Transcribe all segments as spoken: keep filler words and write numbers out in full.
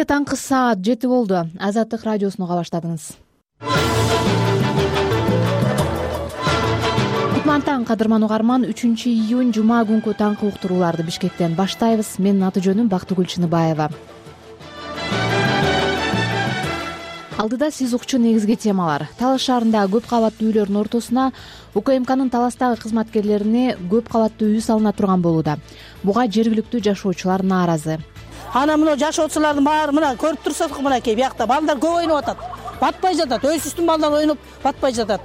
Таңкы саат жети болду. Азаттык радиосуну уга баштадыңыз. Кутмантаң кадырман угарман, үчүнчү июнь жума күнкү таңкы уктурууларды Бишкектен баштайбыз. Менин аты жөнүм Бактыгүл Чыныбаева. Алдыда сиз укчу негизги темалар. Талас шаарындагы көп кабаттуу үйлөрдүн ортосуна УКМКнын Таластагы кызматкерлерине көп кабаттуу үй салына турган болууда. Буга жергиликтүү жашоочулар нааразы. Ана мына жашоочулардын баары мына көрүп турсак, мынакей биякта балдар көп ойноп атат. Батпай жатат. Өйсүстүн балдар ойноп батпай жатат.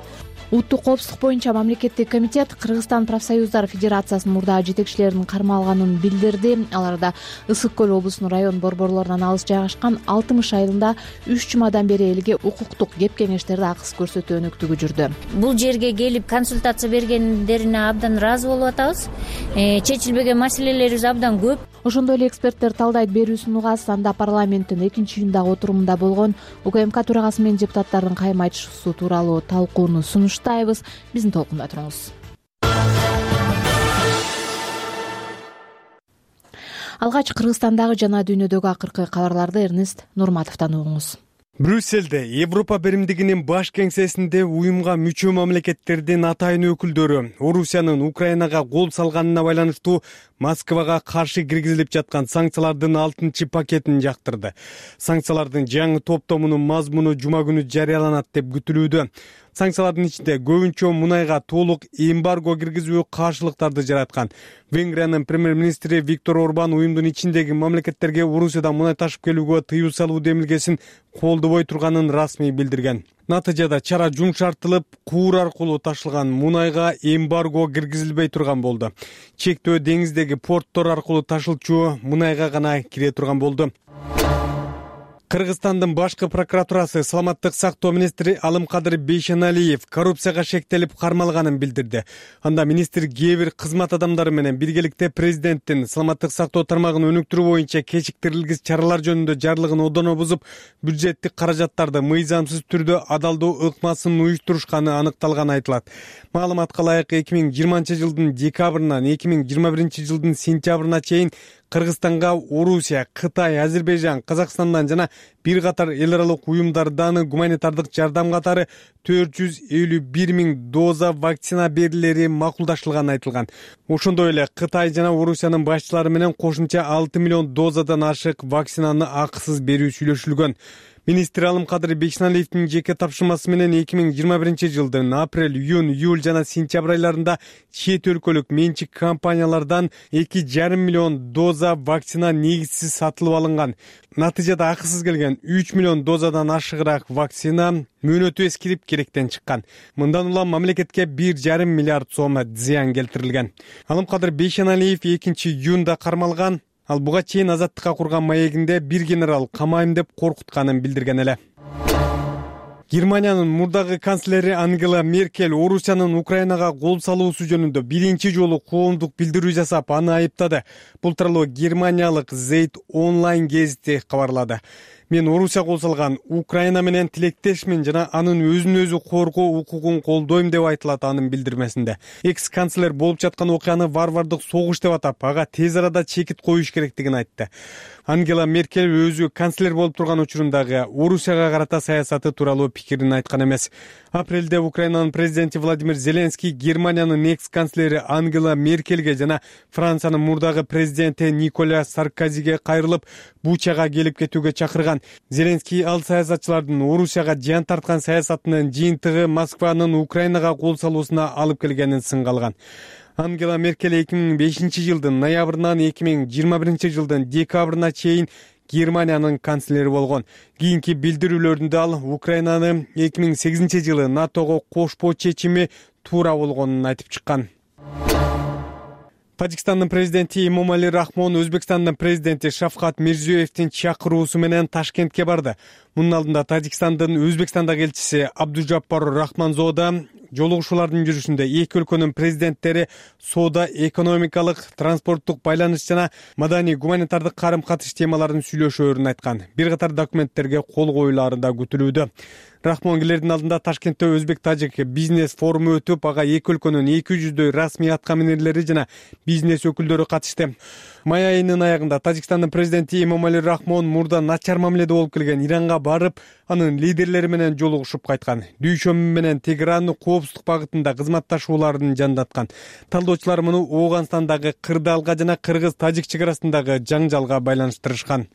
Улуттук коопсуздук боюнча мамлекеттик комитет Кыргызстан профсоюздар федерациясынын мурдагы жетекчилеринин кармалганын билдирди. Аларда Ысык көл облусунун район борборлорунан алыс жайгашкан Алтымыш айылында үч жумадан бери элге укуктук кеп кеңештерди акысыз көрсөтүү өнүктүгү жүрдү. Бул жерге келип консультация бергендерине абдан ыраазы болуп атабыз. Чечилбеген маселелерибиз абдан көп. Ошондой эле эксперттер талдайт берүүсүн угасыз. Анда парламенттин экинчи июндагы отурумунда болгон УКМК төрагасы менен депутаттардын кайым айтышуусу тууралуу талкууну сунуштайбыз. Биздин толкунда туруңуз. Алгач Кыргызстандагы жана дүйнөдөгү акыркы кабарларды Эрнест Нурматовдон угуңуз. Брюсселде Европа биримдигинин баш кеңсесинде уюмга мүчө мамлекеттердин атайын өкүлдөрү Орусиянын Украинага кол салганына байланыштуу Москвага каршы киргизилип жаткан санкциялардын алтынчы пакетин жактырды. Санкциялардын жаңы топтомунун мазмуну жума күнү жарыяланат деп күтүлүүдө. Санкциялардын ичинде көбүнчө мунайга толук эмбарго киргизүү каршылыктарды жараткан. Венгриянын премьер-министри Виктор Орбан уюмдун ичиндеги мамлекеттерге Орусиядан мунай ташып келүүгө тыюу салуу демилгесин колдобой турганын расмий билдирген. Натыйжада чара жумшартылып, куур аркылуу ташылган мунайга эмбарго киргизилбей турган болду. Чектөө деңиздеги порттор аркылуу ташылчу мунайга гана кире турган болду. Кыргызстандын башкы прокуратурасы саламаттык сактоо министри Алымкадыр Бейшеналиев коррупцияга шектелип кармалганын билдирди. Анда министр кээ бир кызмат адамдары менен биргеликте президенттин саламаттык сактоо тармагын өнүктүрүү боюнча кечиктирилгис чаралар жөнүндө жарлыгын одоно бузуп, бюджеттик каражаттарды мыйзамсыз түрдө адалдоо ыкмасын уюштурушканы аныкталганы айтылат. Маалыматка ылайык эки миң жыйырманчы жылдын декабрынан эки миң жыйырма биринчи жылдын сентябрына чейин Кыргызстанга Орусия, Кытай, Азербайжан, Казакстандан жана бир катар эл аралык уюмдардан гуманитардык жардам катары төрт жүз элүү бир миң доза вакцина берилери макулдаштырылганы айтылган. Ошондой эле Кытай жана Орусиянын башчылары менен кошумча алты миллион дозадан ашык вакцинаны акысыз берүү сүйлөшүлгөн. Министр Алымкадыр Бейшеналиевдин жеке тапшырмасы менен эки миң жыйырма биринчи жылдын апрель, июнь, июль жана сентябрь айларында чет өлкөлүк менчик компаниялардан эки жарым миллион доза вакцина негизсиз сатылып алынган. Натыйжада акысыз келген үч миллион дозадан ашыгыраак вакцина мөөнөтү эскирип керектен чыккан. Мындан улам мамлекетке бир жарым миллиард сом зыян келтирилген. Алымкадыр Бейшеналиев экинчи июнда кармалган. Ал буга чейин Азаттыкка курган маегинде бир генерал камайм деп коркутканын билдирген эле. Германиянын мурдагы канцлери Ангела Меркель Орусиянын Украинага кол салуусу жөнүндө биринчи жолу коомдук билдирүү жасап, аны айыптады. Бул тууралуу германиялык Zeit онлайн гезити кабарлады. Мен Орусия кол салган Украина менен тилектешмин жана анын өзүн өзү коргоо укугун колдойм деп айтылат анын билдирмесинде. Экс-канцлер болуп жаткан окуяны варвардык согуш деп атап, ага тез арада чекит коюш керектигин айтты. Ангела Меркель өзү канцлер болуп турган учурундагы Орусияга карата саясаты тууралуу пикирин айткан эмес. Апрелде Украинанын президенти Владимир Зеленский Германиянын экс-канцлери Ангела Меркельге жана Франциянын мурдагы президенти Николя Саркозиге кайрылып, Бучага келип кетүүгө чакырган. Зеленский ал саясатчылардын Орусияга жан тарткан саясатынын жыйынтыгы Москванын Украинага кол салуусуна алып келгенин сынга алган. Ангела Меркель эки миң бешинчи жылдын ноябрынан эки миң жыйырма биринчи жылдын декабрына чейин Германиянын канцлери болгон. Кийинки билдирүүлөрүндө ал Украинаны эки миң сегизинчи жылы НАТОго кошпоо чечими туура болгонун айтып чыккан. Тажикстандын президенти Эмомали Рахмон Өзбекстандын президенти Шавкат Мирзиёевдин чакыруусу менен Ташкентке барды. Мунун алдында Тажикстандын Өзбекстандагы элчиси Абдужаппар Рахманзода жолугушуулардын жүрүшүндө эки өлкөнүн президенттери соода, экономикалык, транспорттук байланыш жана маданий гуманитардык карым-катыш темаларын сүйлөшөөрүн айткан. Бир катар документтерге кол коюлаары да күтүлүүдө. Рахмонгилердин алдында Ташкентте Өзбек-Тажик бизнес форуму өтүп, ага эки өлкөнүн эки жүздөй расмий атка минерлери жана бизнес өкүлдөрү катышты. Май айынын аягында Тажикстандын президенти Эмомали Рахмон мурда начар мамиледе болуп келген Иранга барып, анын лидерлери менен жолугушуп кайткан. Дүйшөмү менен Тегеран коопсуздук багытында кызматташууларын жандаткан. Талдоочулар муну Ооганстандагы Кырдаалга жана Кыргыз-Тажик чек арасындагы жаңжалга байланыштырышкан.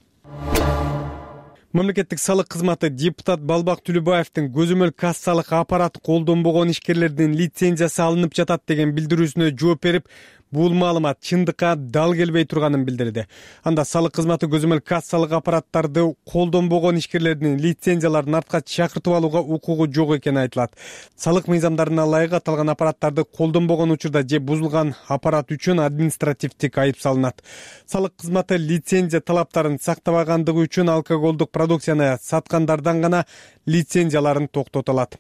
Мамлекеттик салык кызматы депутат Балбак Түлүбаевдин көзөмөл кассалык аппарат колдонбогон ишкерлердин лицензиясы алынып жатат деген билдирүүсүнө жооп берип, бул маалымат чындыкка дал келбей турганын билдирди. Анда салык кызматы көзөмөл кассалык аппараттарды колдонбогон ишкерлердин лицензияларын артка чакыртып алууга укугу жок экени айтылат. Салык мыйзамдарына ылайык аталган аппараттарды колдонбогон учурда же бузулган аппарат үчүн административдик айып салынат. Салык кызматы лицензия талаптарын сактабагандыгы үчүн алкоголдук продукцияны саткандардан гана лицензияларын токтото алат.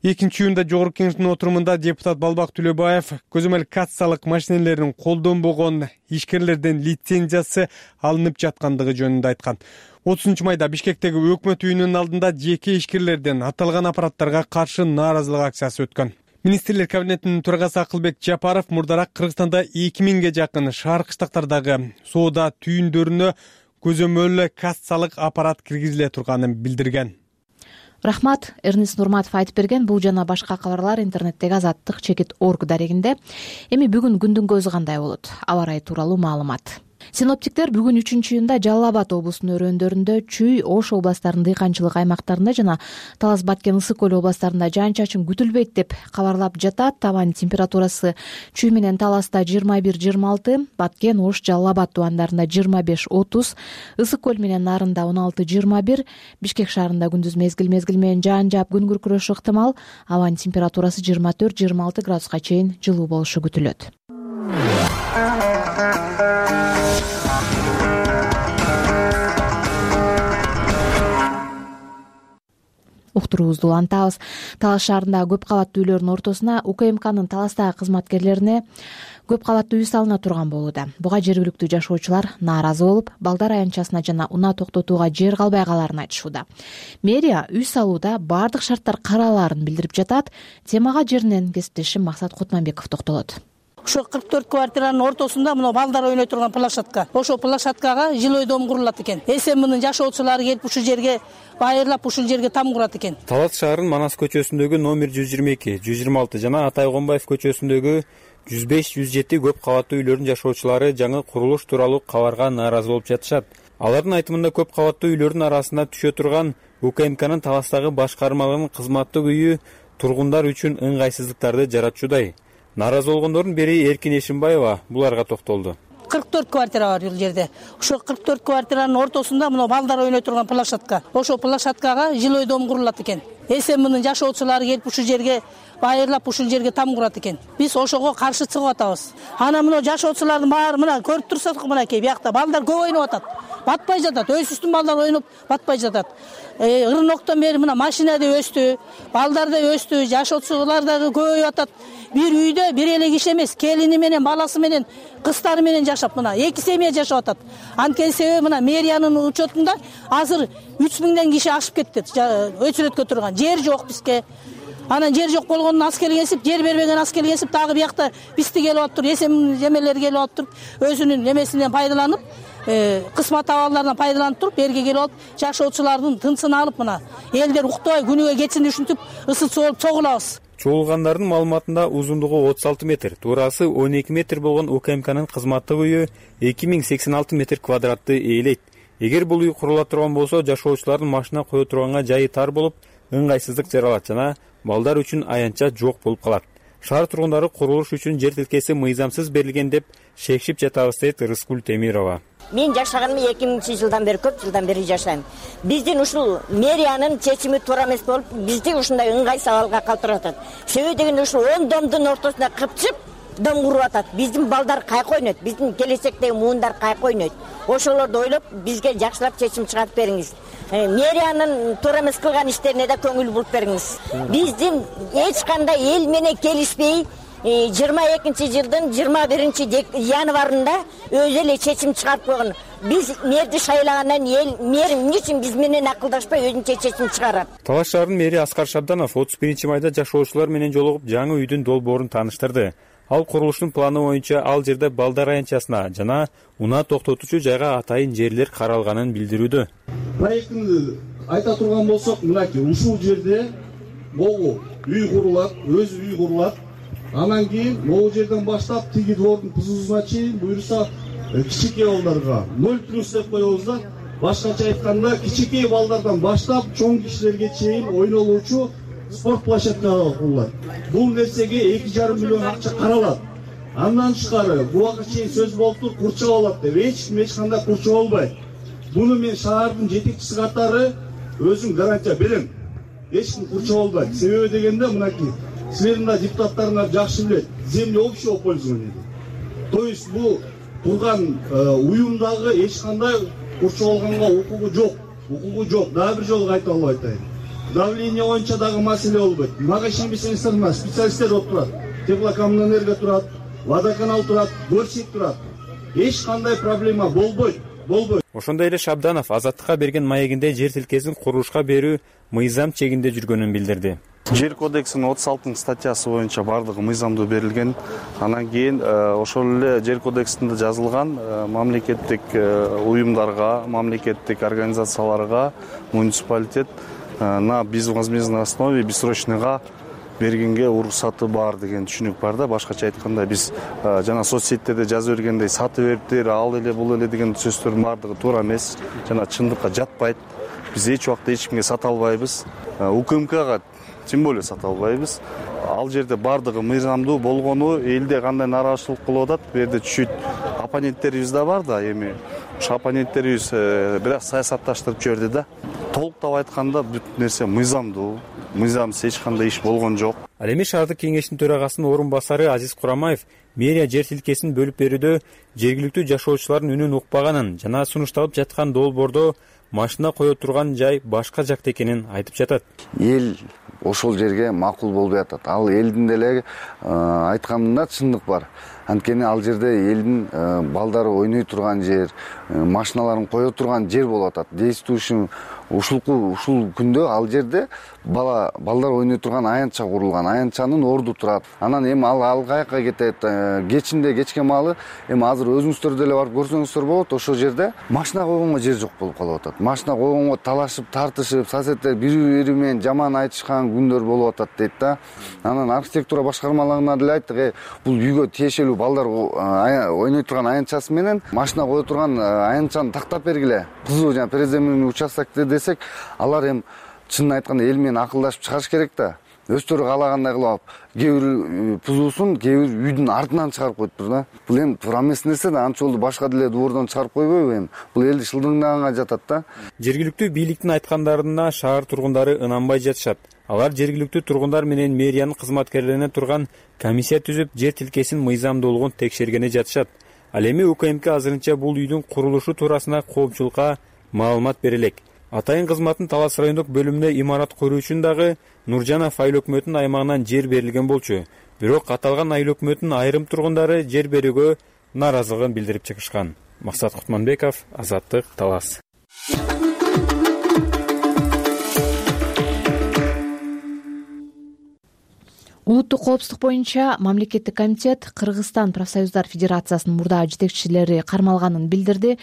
Экинчи июнда Жогорку кеңештин отурумунда депутат Балбак Түлөбаев көзөмөл кассалык машинелерин колдонбогон ишкерлердин лицензиясы алынып жаткандыгы жөнүндө айткан. отузунчу майда Бишкектеги өкмөт үйүнүнүн алдында жеке ишкерлерден аталган аппараттарга каршы нааразылык акциясы өткөн. Министрлер кабинетинин төрагасы Акылбек Жапаров мурдараак Кыргызстанда эки миңге жакын шаар кыштактардагы соода түйүндөрүнө көзөмөл кассалык аппарат киргизиле турганын билдирген. Рахмат, Эрнис Нурматов айтып берген. Бул жана башка кабарлар интернеттеги Азаттык чекит орг дарегинде. Эми бүгүн күндүн көзү кандай болот? Аба ырайы тууралуу маалымат. Синоптиктер бүгүн үчүнчү июнда Жалал Абад облусунун өрөөндөрүндө, Чүй, Ош областарынын дыйканчылык аймактарында жана Талас Баткен Ысык көл областарында жаан-чачын күтүлбөйт деп кабарлап жатат. Табан температурасы Чүй менен Таласта жыйырма бир жыйырма алты, Баткен, Ош, Жалал Абад тубандарында жыйырма беш отуз, Ысык көл менен Нарында он алты жыйырма бир, Бишкек шаарында күндүз мезгил мезгил менен жаан жаап күн күркүрөшү ыктымал. Абанын температурасы жыйырма төрт жыйырма алты градуска чейин жылуу болушу күтүлөт. Уктуруубузду улантабыз. Талас шаарындагы көп кабаттуу үйлөрдүн ортосуна УКМКнын Таластагы кызматкерлерине көп кабаттуу үй салына турган болууда. Буга жергиликтүү жашоочулар нааразы болуп, балдар аянтчасына жана унаа токтотууга жер калбай калаарын айтышууда. Мэрия үй салууда баардык шарттар каралаарын билдирип жатат. Темага жеринен кесиптешим Максат Кутманбеков токтолот. Ошо кырк төрт квартиранын ортосунда мына балдар ойной турган площадка. Ошо площадкага жилой дом курулат экен. СМнын жашоочулары келип ушул жерге байырлап ушул жерге там курат экен. Талас шаарынын Манас көчөсүндөгү номер жүз жыйырма эки, жүз жыйырма алты жана Атай Гомбаев көчөсүндөгү жүз беш, жүз жети көп кабаттуу үйлөрдүн жашоочулары жаңы курулуш тууралуу кабарга нааразы болуп жатышат. Алардын айтымында көп кабаттуу үйлөрдүн арасына түшө турган УКМКнын Таластагы башкармалыгынын кызматтык үйү тургундар үчүн ыңгайсыздыктарды жаратчудай. Нааразы болгондордун бири Эркин Эшимбаева буларга токтолду. кырк төрт квартира бар бул жерде. Ошо кырк төрт квартиранын ортосунда мына балдар ойной турган площадка. Ошо площадкага жилой дом курулат экен. СМнын жашоочулары келип ушул жерге байырлап ушул жерге там курат экен. Биз ошого каршы чыгып атабыз. Ана мына жашоочулардын баары мына көрүп турсак мынакей биякта балдар көп ойноп атат. Батпай жатат. Өсүстүн балдар ойноп батпай жатат. Ырыноктон бери мына машина да өстү, балдар да өстү, жашоочулар да көбөйүп атат. Бир үйдө бир эле киши эмес, келини менен, баласы менен, кыздары менен жашап мына эки семья жашап атат. Анткени себеби мына мэриянын учетунда азыр үч миңден киши ашып кетти. Өчүрөткө турган жер жок бизге. Анан жер жок болгондон аскер кесип, жер бербеген аскер кесип, дагы биякта бизди келип атыптыр, эсем жемелер келип атыптыр. Өзүнүн эмесинен пайдаланып, кысмат абалдарынан пайдаланып туруп, берге келип алып, жашоочулардын тынсын алып мына элдер уктабай күнүгө кечинди ушинтип ысытчы болуп чогулабыз. Чогулгандардын маалыматында узундугу отуз алты метр, туурасы он эки метр болгон УКМКнын кызматтык үйү эки миң сексен алты метр квадратты ээлейт. Эгер бул үй курула турган болсо, жашоочулардын машина кое турганга жайы тар болуп, ыңгайсыздык жаралат жана балдар үчүн аянтча жок болуп калат. Шаар тургундары курулуш үчүн жер тилкеси мыйзамсыз берилген деп шекшип жатабыз, дейт Рыскүл Темирова. Мен жашаганыма эки миңинчи жылдан бери, көп жылдан бери жашайм. Биздин ушул мэриянын чечими туура эмес болуп, бизди ушундай ыңгайсыз абалга калтырып атат. Себеби дегенде ушул он домдун ортосунда кыпчып, дом куруп атат. Биздин балдар кайка ойнойт, биздин келечектеги муундар кайка ойнойт. Ошолорду ойлоп бизге жакшылап чечим чыгарып бериңиз. Мэриянын туура эмес кылган иштерине да көңүл буруп бериңиз. Биздин эч кандай эл менен келишпей жыйырма экинчи жылдын жыйырма биринчи январында өзү эле чечим чыгарып койгон. Биз мэрди шайлагандан эл мэр эмне үчүн биз менен акылдашпай өзүнчө чечим чыгарат. Талаш шаарынын мэри Аскар Шабданов отуз биринчи майда жашоочулар менен жолугуп жаңы үйдүн долбоорун тааныштырды. Ал курулуштун планы боюнча ал жерде балдар аянтчасына жана унаа токтотуучу жайга атайын жерлер каралганын билдирүүдө. Проектин айта турган болсок, мынакей ушул жерде могу үй курулат, өз үй курулат. Анан кийин могу жерден баштап тиги двордун пузусуна чейин буюрса кичинекей балдарга ноль плюс деп коебуз да. Башкача айтканда кичинекей балдардан баштап чоң кишилерге чейин ойнолуучу спорт площадкалары курулат. Бул нерсеге эки жарым миллион акча каралат. Андан тышкары буга чейин сөз болуптур, курчап алат деп. Эч ким эч кандай курчап албайт. Буну мен шаардын жетекчиси катары өзүм гарантия берем. Эч ким курчап албайт. Себеби дегенде мынакей силердин да депутаттарыңар жакшы билет. Земля общего пользования. То есть бул турган уюмдагы эч кандай курчап алганга укугу жок. Укугу жок. Дагы бир жолу кайталап айтайын. Давление боюнча дагы маселе болбойт. Мага ишенбесеңиздер, мына специалисттер отурат. Теплокоммунэнерго турат, водоканал турат, горсек турат. Эч кандай проблема болбойт. Болбойт. Ошондой эле Шабданов Азаттыкка берген маегинде жер тилкесин курулушка берүү мыйзам чегинде жүргөнүн билдирди. Жер кодексинин отуз алтынчы статьясы боюнча бардыгы мыйзамдуу берилген. Анан кийин ошол эле жер кодексинде жазылган мамлекеттик уюмдарга, мамлекеттик организацияларга муниципалитет на безвозмездной основе бессрочныйга бергенге уруксаты бар деген түшүнүк бар да. Башкача айтканда биз жана соц сеттерде жазып бергендей сатып бериптир, ал эле бул эле деген сөздөрдүн бардыгы туура эмес, жана чындыкка жатпайт. Биз эч убакта эч кимге сата албайбыз. УКМКга тем более сата албайбыз. Ал жерде бардыгы мыйзамдуу болгону элде кандай нааразычылык кылып атат, бу жерде чуть оппоненттерибиз да бар да, эми ошо оппоненттерибиз бирок саясатташтырып жиберди да. Толуктап айтканда бүт нерсе мыйзамдуу, мыйзамсыз эч кандай иш болгон жок. Ал эми шаардык кеңештин төрагасынын орун басары Азиз Курамаев мэрия жер тилкесин бөлүп берүүдө жергиликтүү жашоочулардын үнүн укпаганын жана сунушталып жаткан долбоордо машина кое турган жай башка жакта экенин айтып жатат. Эл ошол жерге макул болбой атат. Ал элдин деле айтканында чындык бар. Анткени ал жерде элдин балдары ойной турган жер, машиналарын кое турган жер болуп атат. Действующий ушулку ушул күндө ал жерде бала балдар ойной турган аянтча курулган. Аянтчанын орду турат. Анан эми ал ал каяка кетет? Кечинде кечке маалы эми азыр өзүңүздөр деле барып көрсөңүздөр болот. Ошол жерде машина койгонго жер жок болуп калып атат. Машина койгонго талашып, тартышып, соседтер бири-бири менен жаман айтышкан күндөр болуп атат дейт да. Анан архитектура башкармаларына деле айттык, бул үйгө тиешелүү балдар ойной турган аянтчасы менен машина кое турган аянтчаны тактап бергиле. Кызуу жана приземленный участокте десек, алар эми чынын айтканда эл менен акылдашып чыгарыш керек да. Өздөрү каалагандай кылып, кээ бир пузусун кээ бир үйдүн артынан чыгарып коюптур да. Бул эми туура эмес нерсе да. Анча болду башка деле двордон чыгарып койбойбу эми? Бул элди шылдыңдаганга жатат да. Жергиликтүү бийликтин айткандарына шаар тургундары ынанбай жатышат. Алар жергиликтүү тургундар менен мэриянын кызматкерлерине турган комиссия түзүп, жер тилкесинин мыйзамдуулугун текшергени жатышат. Ал эми УКМК азырынча бул үйдүн курулушу туурасында коопчулукка маалымат бере элек. Атайын кызматтын Талас райондук бөлүмүнө имарат куруу үчүн дагы Нуржанов айыл өкмөтүнүн аймагынан жер берилген болчу. Бирок аталган айыл өкмөтүнүн айрым тургундары жер берүүгө нааразылыгын билдирип чыгышкан. Максат Кутманбеков, Азаттык, Талас. Улуттук коопсуздук боюнча мамлекеттик комитет Кыргызстан профсоюздар федерациясынын мурдагы жетекчилери кармалганын билдирди.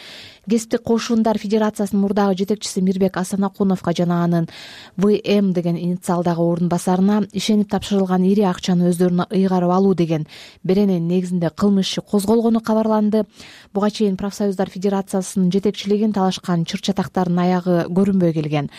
Кесиптик кошундар федерациясынын мурдагы жетекчиси Мирбек Асанакуновго жана анын вэ эм деген инициалдагы орун басарына ишенип тапшырылган ири акчаны өздөрүнө ыйгарып алуу деген берененин негизинде кылмыш иши козголгону кабарланды. Буга чейин профсоюздар федерациясынын жетекчилигин талашкан чыр-чатактардын аягы көрүнбөй келген.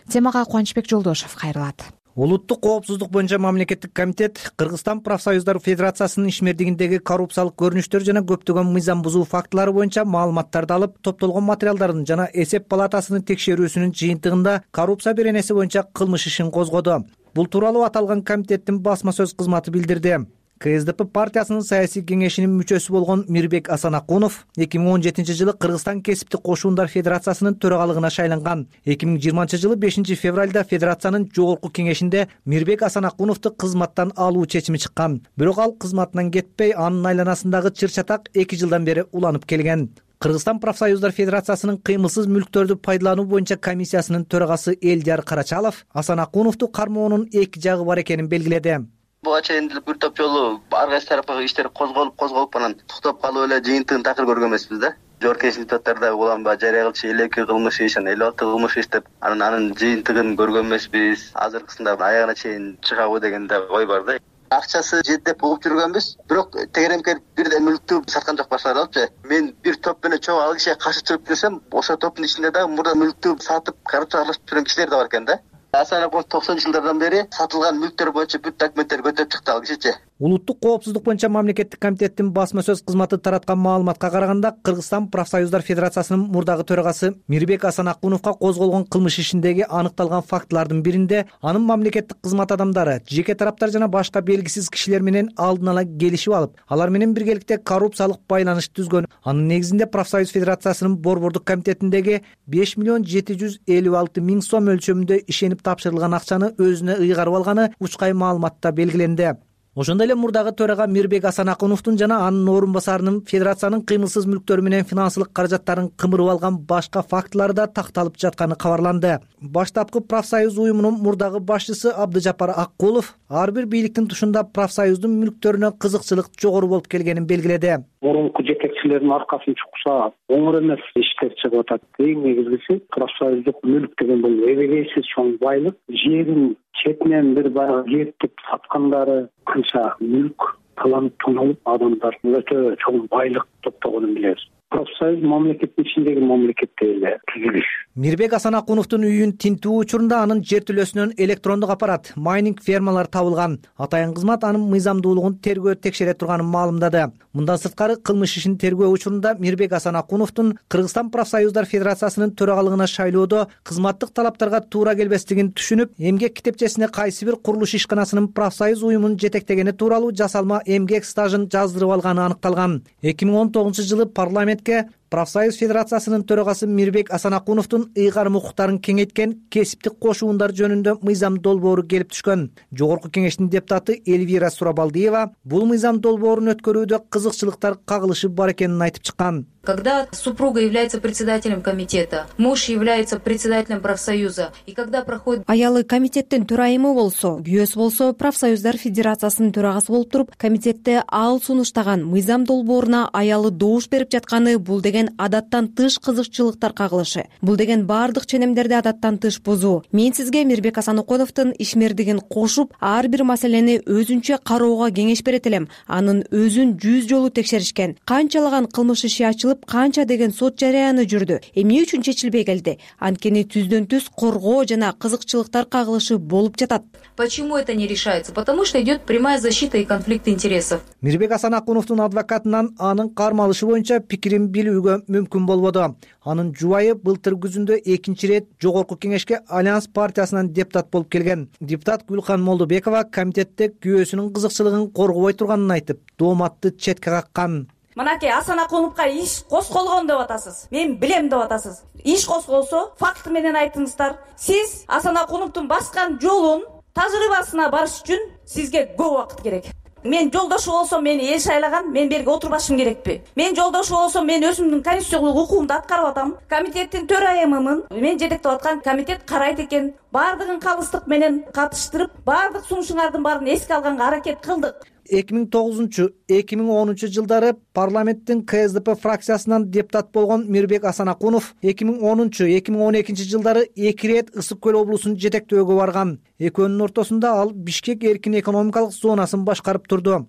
Темага Кубанычбек Жолдошев кайрылат. Улуттук коопсуздук боюнча мамлекеттик комитет Кыргызстан профсоюздар федерациясынын ишмердигиндеги коррупциялык көрүнүштөр жана көптөгөн мыйзам бузуу фактылары боюнча маалыматтарды алып, топтолгон материалдардын жана эсеп палатасынын текшерүүсүнүн жыйынтыгында коррупция беренеси боюнча кылмыш ишин козгоду. Бул тууралуу аталган комитеттин басма сөз кызматы билдирди. КСДП партиясынын саясий кеңешинин мүчөсү болгон Мирбек Асанакунов эки миң он жетинчи жылы Кыргызстан кесиптик кошуундар федерациясынын төрагалыгына шайланган. эки миң жыйырманчы жылы бешинчи февралда федерациянын жогорку кеңешинде Мирбек Асанакуновду кызматтан алуу чечими чыккан. Бирок ал кызматынан кетпей, анын айланасындагы чыр-чатак эки жылдан бери уланып келген. Кыргызстан профсоюздар федерациясынын кыймылсыз мүлктөрдү пайдалануу боюнча комиссиясынын төрагасы Элдияр Карачалов Асанакуновду кармоонун эки жагы бар экенин белгиледи. Буга чейин деле бир топ жолу ар кайсы тарапка иштер козголуп козголуп анан токтоп калып эле жыйынтыгын такыр көргөн эмеспиз да. Жогорку кеңеш депутаттары уланбай жарыя кылчу элүү эки кылмыш иш, элүү алты кылмыш иш деп анан анын жыйынтыгын көргөн эмеспиз. Азыркысында аягына чейин чыгабы деген да ой бар да. Акчасы жетип угуп жүргөнбүз, бирок тегеремкер бирден мүлктү саткан жок башлар алыпчы. Мен бир топ менен чоң ал кишиге каршы чыгып жүрсөм, ошо топтун ичинде да мурда мүлктү сатып коррупцияга аралашып жүргөн кишилер да бар экен да. Асанакунов токсонунчу жылдардан бери сатылган мүлктөр боюнча бүт документтерди көтөрүп чыкты ал кишичи. Улуттук коопсуздук боюнча мамлекеттик комитеттин басма сөз кызматы тараткан маалыматка караганда, Кыргызстан профсоюздар федерациясынын мурдагы төрагасы Мирбек Асанакуновго козголгон кылмыш ишиндеги аныкталган фактылардын биринде анын мамлекеттик кызмат адамдары, жеке тараптар жана башка белгисиз кишилер менен алдын ала келишип алып, алар менен биргеликте коррупциялык байланыш түзгөн. Анын негизинде профсоюз федерациясынын борбордук комитетиндеги беш миллион жети жүз элүү алты миң сом өлчөмүндө ишенип тапшырылган акчаны өзүнө ыйгарып алганы учкай маалыматта белгиленди. Ошондой эле мурдагы төрага Мирбек Асанакуновдун жана анын орун басарынын федерациянын кыймылсыз мүлктөрү менен финансылык каражаттарын кымырып алган башка фактылары да такталып жатканы кабарланды. Баштапкы профсоюз уюмунун мурдагы башчысы Абдыжапар Аккулов ар бир бийликтин тушунда профсоюздун мүлктөрүнө кызыкчылык жогору болуп келгенин белгиледи. Мурунку жетекчилердин аркасын чукса оңор эмес иштер чыгып атат. Эң негизгиси профсоюздук мүлк деген бул эбегейсиз чоң байлык. Жерин четинен бир барга кертип саткандары канча мүлк таланып тоналып, адамдар өтө чоң байлык топтогонун билебиз. Профсоюз мамлекеттин ичиндеги мамлекетте эле түзүлүш. Мирбек Асанакуновдун үйүн тинтүү учурунда анын жер төлөсүнөн электрондук аппарат, майнинг фермалар табылган. Атайын кызмат анын мыйзамдуулугун тергөө текшере турганын маалымдады. Мындан сырткары кылмыш ишин тергөө учурунда Мирбек Асанакуновдун Кыргызстан профсоюздар федерациясынын төрагалыгына шайлоодо кызматтык талаптарга туура келбестигин түшүнүп, эмгек китепчесине кайсы бир курулуш ишканасынын профсоюз уюмун жетектегени тууралуу жасалма эмгек стажын жаздырып алганы аныкталган. эки миң он тогузунчу жылы парламентке профсоюз федерациясынын төрагасы Мирбек Асанакуновдун ыйгарым укуктарын кеңейткен кесиптик кошуундар жөнүндө мыйзам долбоору келип түшкөн. Жогорку кеңештин депутаты Эльвира Сурабалдиева бул мыйзам долбоорун өткөрүүдө кызыкчылыктар кагылышы бар экенин айтып чыккан. Когда супруга является председателем комитета, муж является председателем профсоюза, и когда проходит... Аялы комитеттин төрайымы болсо, күйөөсү болсо, профсоюздар федерациясынын төрагасы болуп туруп, комитетте ал сунуштаган мыйзам долбооруна аялы добуш берип жатканы бул деген адаттан тыш кызыкчылыктар кагылышы. Бул деген бардык ченемдерди адаттан тыш бузуу. Мен сизге Мирбек Асанакуновдун ишмердигин кошуп, ар бир маселени өзүнчө кароого кеңеш берет элем. Анын өзүн жүз жолу текшеришкен. Канчалаган кылмыш иши ачылып, канча деген сот жарыяны жүрдү. Эмне үчүн чечилбей келди? Анткени түздөн түз коргоо жана кызыкчылыктар кагылышы болуп жатат. Почему это не решается? Потому что идет прямая защита и конфликт интересов. Мирбек Асанакуновдун адвокатынан анын кармалышы боюнча пикирин билүүгө мүмкүн болбоду. Анын жубайы былтыр күзүндө экинчи ирет жогорку кеңешке Альянс партиясынан депутат болуп келген. Депутат Гүлхан Молдобекова комитетте күйөөсүнүн кызыкчылыгын коргобой турганын айтып, дооматты четке каккан. Мынакей Асанакуновго иш козголгон деп атасыз. Мен билем деп атасыз. Иш козголсо, факты менен айтыңыздар. Сиз Асанакуновдун баскан жолун тажрыйбасына барыш үчүн сизге көп убакыт керек. Мен жолдошу болсом, мени эл шайлаган, мен берге отурбашым керекпи? Мен жолдошу болсом, мен өзүмдүн конституциялык укугумду аткарып атам. Комитеттин төрайымымын. Мен жетектеп аткан комитет карайт экен. Бардыгын калыстык менен катыштырып, бардык сунушуңардын баарын эске алганга аракет кылдык. эки миң тогузунчу эки миң онунчу жылдары парламенттин КСДП фракциясынан депутат болгон Мирбек Асанакунов эки миң онунчу эки миң он экинчи жылдары эки ирет Ысык көл облусун жетектөөгө барган. Экөөнүн ортосунда ал Бишкек эркин экономикалык зонасын башкарып турду.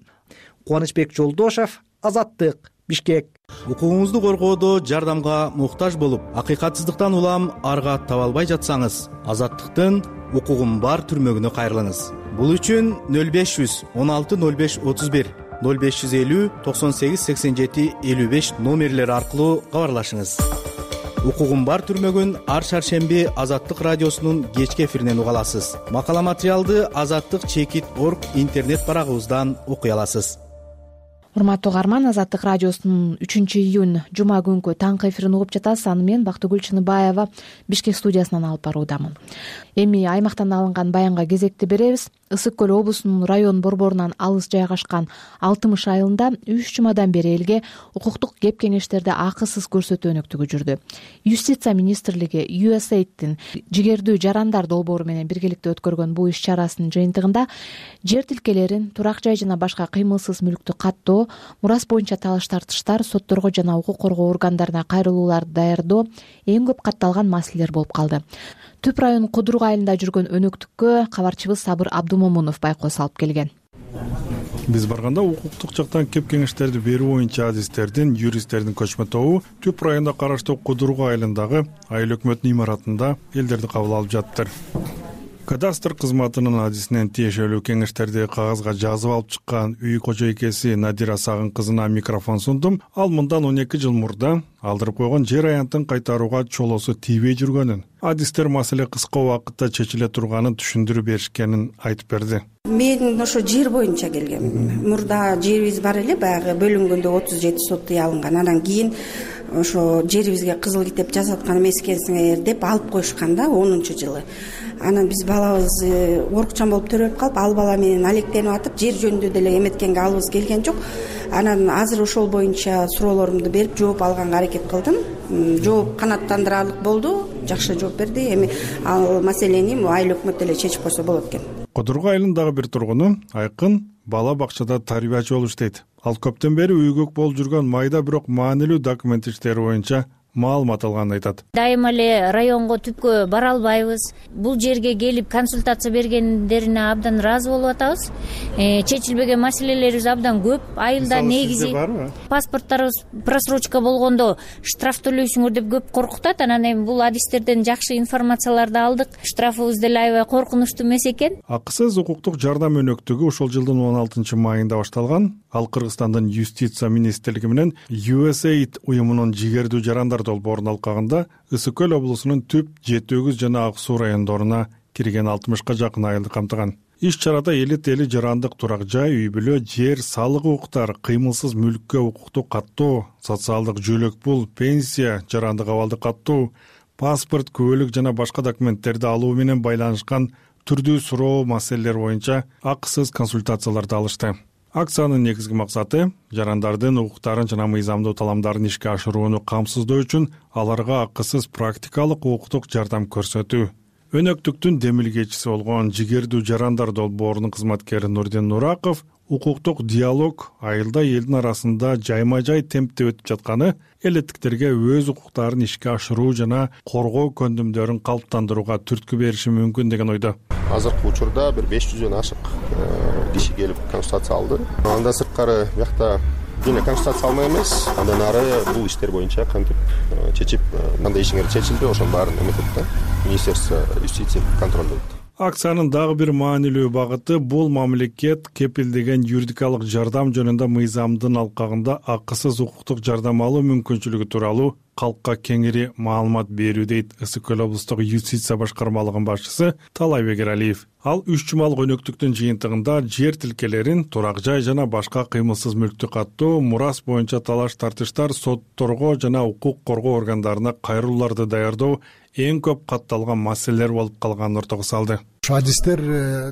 Кубанычбек Жолдошев, Азаттык, Бишкек. Укугуңузду коргоодо жардамга муктаж болуп, акыйкатсыздыктан улам арга таба албай жатсаңыз, Азаттыктын укугум бар түрмөгүнө кайрылыңыз. Бул үчүн нөл беш жүз он алты нөл беш отуз бир, нөл беш жүз элүү токсон сегиз сексен жети элүү беш номерлери аркылуу кабарлашыңыз. укугум бар түрмөгүн ар шаршемби Азаттык радиосунун кечки эфиринен уга аласыз. Макала материалды Азаттык чекит орг интернет барагыбыздан окуй аласыз. Урматтуу угарман, Азаттык радиосунун үчүнчү июнь жума күнкү таңкы эфирин угуп жатасыз. Аны мен Бактыгүл Чыныбаева Бишкек студиясынан алып баруудамын. Эми аймактан алынган баянга кезекти беребиз. Ысык көл облусунун район борборунан алыс жайгашкан Алтымыш айылында үч жумадан бери элге укуктук кеп кеңештерде акысыз көрсөтүү өнөктүгү жүрдү. Юстиция министрлиги ю эс эй дин жигердүү жарандар долбоору менен биргеликте өткөргөн бул иш чарасынын жыйынтыгында жер тилкелерин, турак жай жана башка кыймылсыз мүлктү каттоо, мурас боюнча талаш тартыштар, сотторго жана укук коргоо органдарына кайрылууларды даярдоо эң көп катталган маселелер болуп калды. Түп район Кудурук айылында жүргөн өнөктүккө кабарчыбыз Сабыр Абдумомунов байкоо салып келген. Биз барганда укуктук жактан кеп кеңештерди берүү боюнча адистердин, юристтердин көчмө тобу Түп районуна караштуу Кудурук айылындагы айыл өкмөтүнүн имаратында элдерди кабыл алып жатыптыр. Кадастр кызматынын адисинен тиешелүү кеңештерди кагазга жазып алып чыккан үй кожойкеси Надира Сагын кызына микрофон сундум. Ал мындан он эки жыл мурда алдырып койгон жер аянтын кайтарууга чолосу тийбей жүргөнүн, адистер маселе кыска убакытта чечиле турганын түшүндүрүп беришкенин айтып берди. Мен ошо жер боюнча келгем. Мурда жерибиз бар эле, баягы бөлүнгөндө отуз жети сот алынган. Анан кийин ошо жерибизге кызыл китеп жазып аткан эмес экенсиңер деп алып коюшкан да онунчу жылы. Анан биз балабыз орукчан болуп төрөп калып, ал бала менен алектенип атып, жер жөнүндө деле эметкенге алыбыз келген жок. Анан азыр ошол боюнча суроолорумду берип, жооп алганга аракет кылдым. Жооп канааттандырарлык болду, жакшы жооп берди. Эми ал маселени айыл өкмөт деле чечип койсо болот экен. Кудурук айылындагы бир тургуну Айкын бала бакчада тарбиячы болуп иштейт. Ал көптөн бери үйгөк болуп жүргөн майда бирок маанилүү документ иштери боюнча маалымат алганын айтат. Дайыма эле районго түпкө бара албайбыз. Бул жерге келип консультация бергендерине абдан ыраазы болуп атабыз. Э, чечилбеген маселелерибиз абдан көп. Айылда негизи паспорттарыбыз просрочка болгондо штраф төлөйсүңөр деп көп коркутат. Анан эми бул адистерден жакшы информацияларды алдык. Штрафыбыз деле аябай коркунучтуу эмес экен. Акысыз укуктук жардам өнөктүгү ушул жылдын он алтынчы майында башталган. Ал Кыргызстандын Юстиция министрлиги менен ю эс эй уюмунун жигердүү жарандар долбоорунун алкагында Ысык көл облусунун Түп, Жети өгүз жана Ак суу райондоруна кирген алтымышка жакын айылды камтыган. Иш чарада элит эли жарандык турак жай, үй бүлө, жер, салык укуктар, кыймылсыз мүлккө укукту каттоо, социалдык жөлөк пул, пенсия, жарандык абалды каттоо, паспорт, күбөлүк жана башка документтерди алуу менен байланышкан түрдүү суроо маселелер боюнча акысыз консультацияларды алышты. Акциянын негизги максаты жарандардын укуктарын жана мыйзамдуу таламдарын ишке ашырууну камсыздоо үчүн аларга акысыз практикалык укуктук жардам көрсөтүү. Өнөктүктүн демилгечиси болгон жигердүү жарандар долбоорунун кызматкери Нурдин Нураков укуктук диалог айылда элдин арасында жайма-жай темпте өтүп жатканы элеттиктерге өз укуктарын ишке ашыруу жана коргоо көндүмдөрүн калыптандырууга түрткү бериши мүмкүн деген ойдо. Азыркы учурда бир беш жүздөн ашык киши келип консультация алды. Андан сырткары биякта жана консультация алмай эмес, андан ары бул иштер боюнча кантип чечип, кандай ишиңер чечилди, ошонун баарын эметет да. Министерство юстиция контролдойт. Акциянын дагы бир маанилүү багыты бул мамлекет кепилдеген юридикалык жардам жөнүндө мыйзамдын алкагында акысыз укуктук жардам алуу мүмкүнчүлүгү тууралуу калкка кеңири маалымат берүү дейт Ысык көл облустук юстиция башкармалыгынын башчысы Талайбек Эралиев. Ал үч жумалык өнөктүктүн жыйынтыгында жер тилкелерин, турак жай жана башка кыймылсыз мүлктү каттоо, мурас боюнча талаш тартыштар, сотторго жана укук коргоо органдарына кайрылууларды даярдоо эң көп катталган маселелер болуп калганын ортого салды. Адистер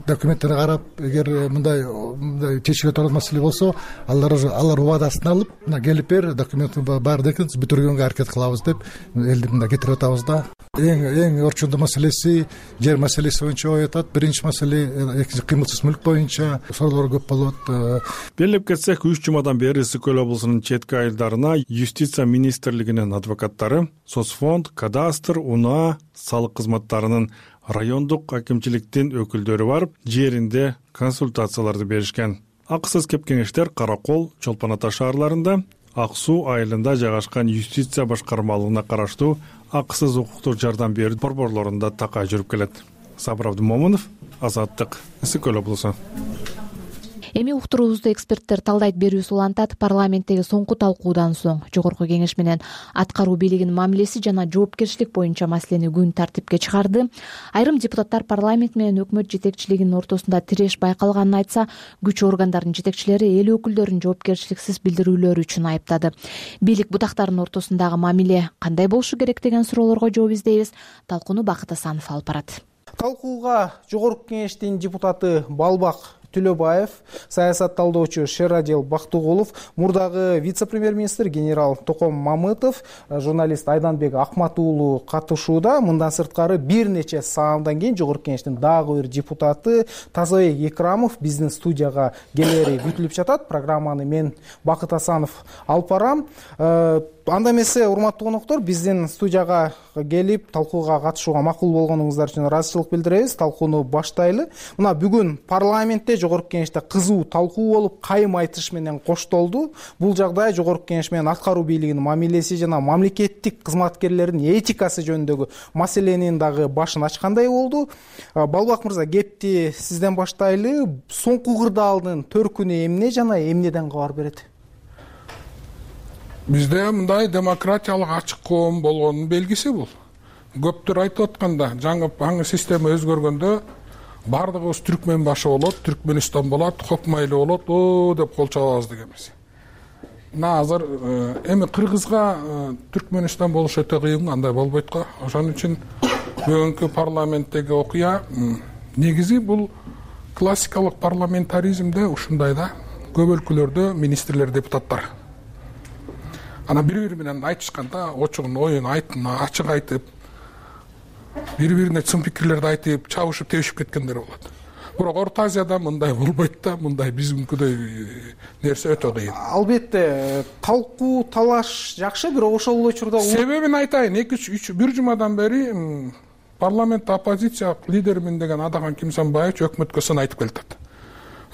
документтерди карап, эгер мындай мындай чечиле турган маселе болсо, алар алар убадасын алып, мына келип бер, документти баарын экинчи бүтүргөнгө аракет кылабыз деп элди мында кетирип атабыз да. Эң эң орчундуу маселеси жер маселеси боюнча ой атат. Биринчи маселе экинчи кыймылсыз мүлк боюнча суроолор көп болот. Белип кетсек, үч жумадан бери Ысык көл облусунун четки айылдарына Юстиция министрлигинин адвокаттары, соцфонд, кадастр, унаа, салык кызматтарынын райондук акимчиликтин өкүлдөрү барып, жеринде консультацияларды беришкен. Акысыз кеп кеңештер Каракол, Чолпон Ата шаарларында, Ак суу айылында жайгашкан юстиция башкармалыгына караштуу акысыз укуктук жардам берүү борборлорунда такай жүрүп келет. Сабыр Абдумомунов, Азаттык, Ысык көл облусу. Эми уктуруубузду эксперттер талдайт берүүсү улантат. Парламенттеги соңку талкуудан соң жогорку кеңеш менен аткаруу бийлигинин мамилеси жана жоопкерчилик боюнча маселени күн тартипке чыгарды. Айрым депутаттар парламент менен өкмөт жетекчилигинин ортосунда тиреш байкалганын айтса, күч органдарынын жетекчилери эл өкүлдөрүн жоопкерчиликсиз билдирүүлөр үчүн айыптады. Бийлик бутактарынын ортосундагы мамиле кандай болушу керек деген суроолорго жооп издейбиз. Талкууну Бакыт Асанов алып барат. Талкууга жогорку кеңештин депутаты Балбак Түлөбаев, саясатталдоочу Шерадил Бактыгулов, мурдагы вице-премьер-министр генерал Током Мамытов, журналист Айданбек Акмат уулу катышууда. Мындан сырткары бир нече саамдан кийин жогорку кеңештин дагы бир депутаты Тазабек Экрамов биздин студияга келери күтүлүп жатат. Программаны мен Бакыт Асанов алып барам. Анда эмесе, урматтуу коноктор, биздин студияга келип талкууга катышууга макул болгонуңуздар үчүн ыраазычылык билдиребиз. Талкууну баштайлы. Мына бүгүн парламентте жогорку кеңеште кызуу талкуу болуп, кайым айтыш менен коштолду. Бул жагдай жогорку кеңеш менен аткаруу бийлигинин мамилеси жана мамлекеттик кызматкерлердин этикасы жөнүндөгү маселенин дагы башын ачкандай болду. Балбак мырза, кепти сизден баштайлы. Соңку кырдаалдын төркүнү эмне жана эмнеден кабар берет? Бизде мындай демократиялык ачык коом болгонун белгиси бул. Көптөр айтып атканда, жаңы жаңы система өзгөргөндө бардыгыбыз түркмен башы болот, Түркмөнстан болот, Хокмайлы болот, о деп кол чабабыз дегенбиз. Мына азыр эми Кыргызга Түркмөнстан болуш өтө кыйын, андай болбойт го. Ошон үчүн бүгүнкү парламенттеги окуя негизи бул классикалык парламентаризмде ушундай да, көп өлкөлөрдө министрлер, депутаттар ана бири-бири менен айтышканда очугун оюн айтын ачык айтып, бири-бирине чын пикирлерди айтып, чабышып, тебишип кеткендер болот. Бирок Орто Азияда мындай болбойт да, мындай биздикидей нерсе өтө кыйын. Албетте, талкуу, талаш жакшы, бирок ошол эле учурда себебин айтайын. эки үч бир жумадан бери парламентте оппозиция лидеримин деген Адахан Кимсанбаевич өкмөткө сын айтып келатат.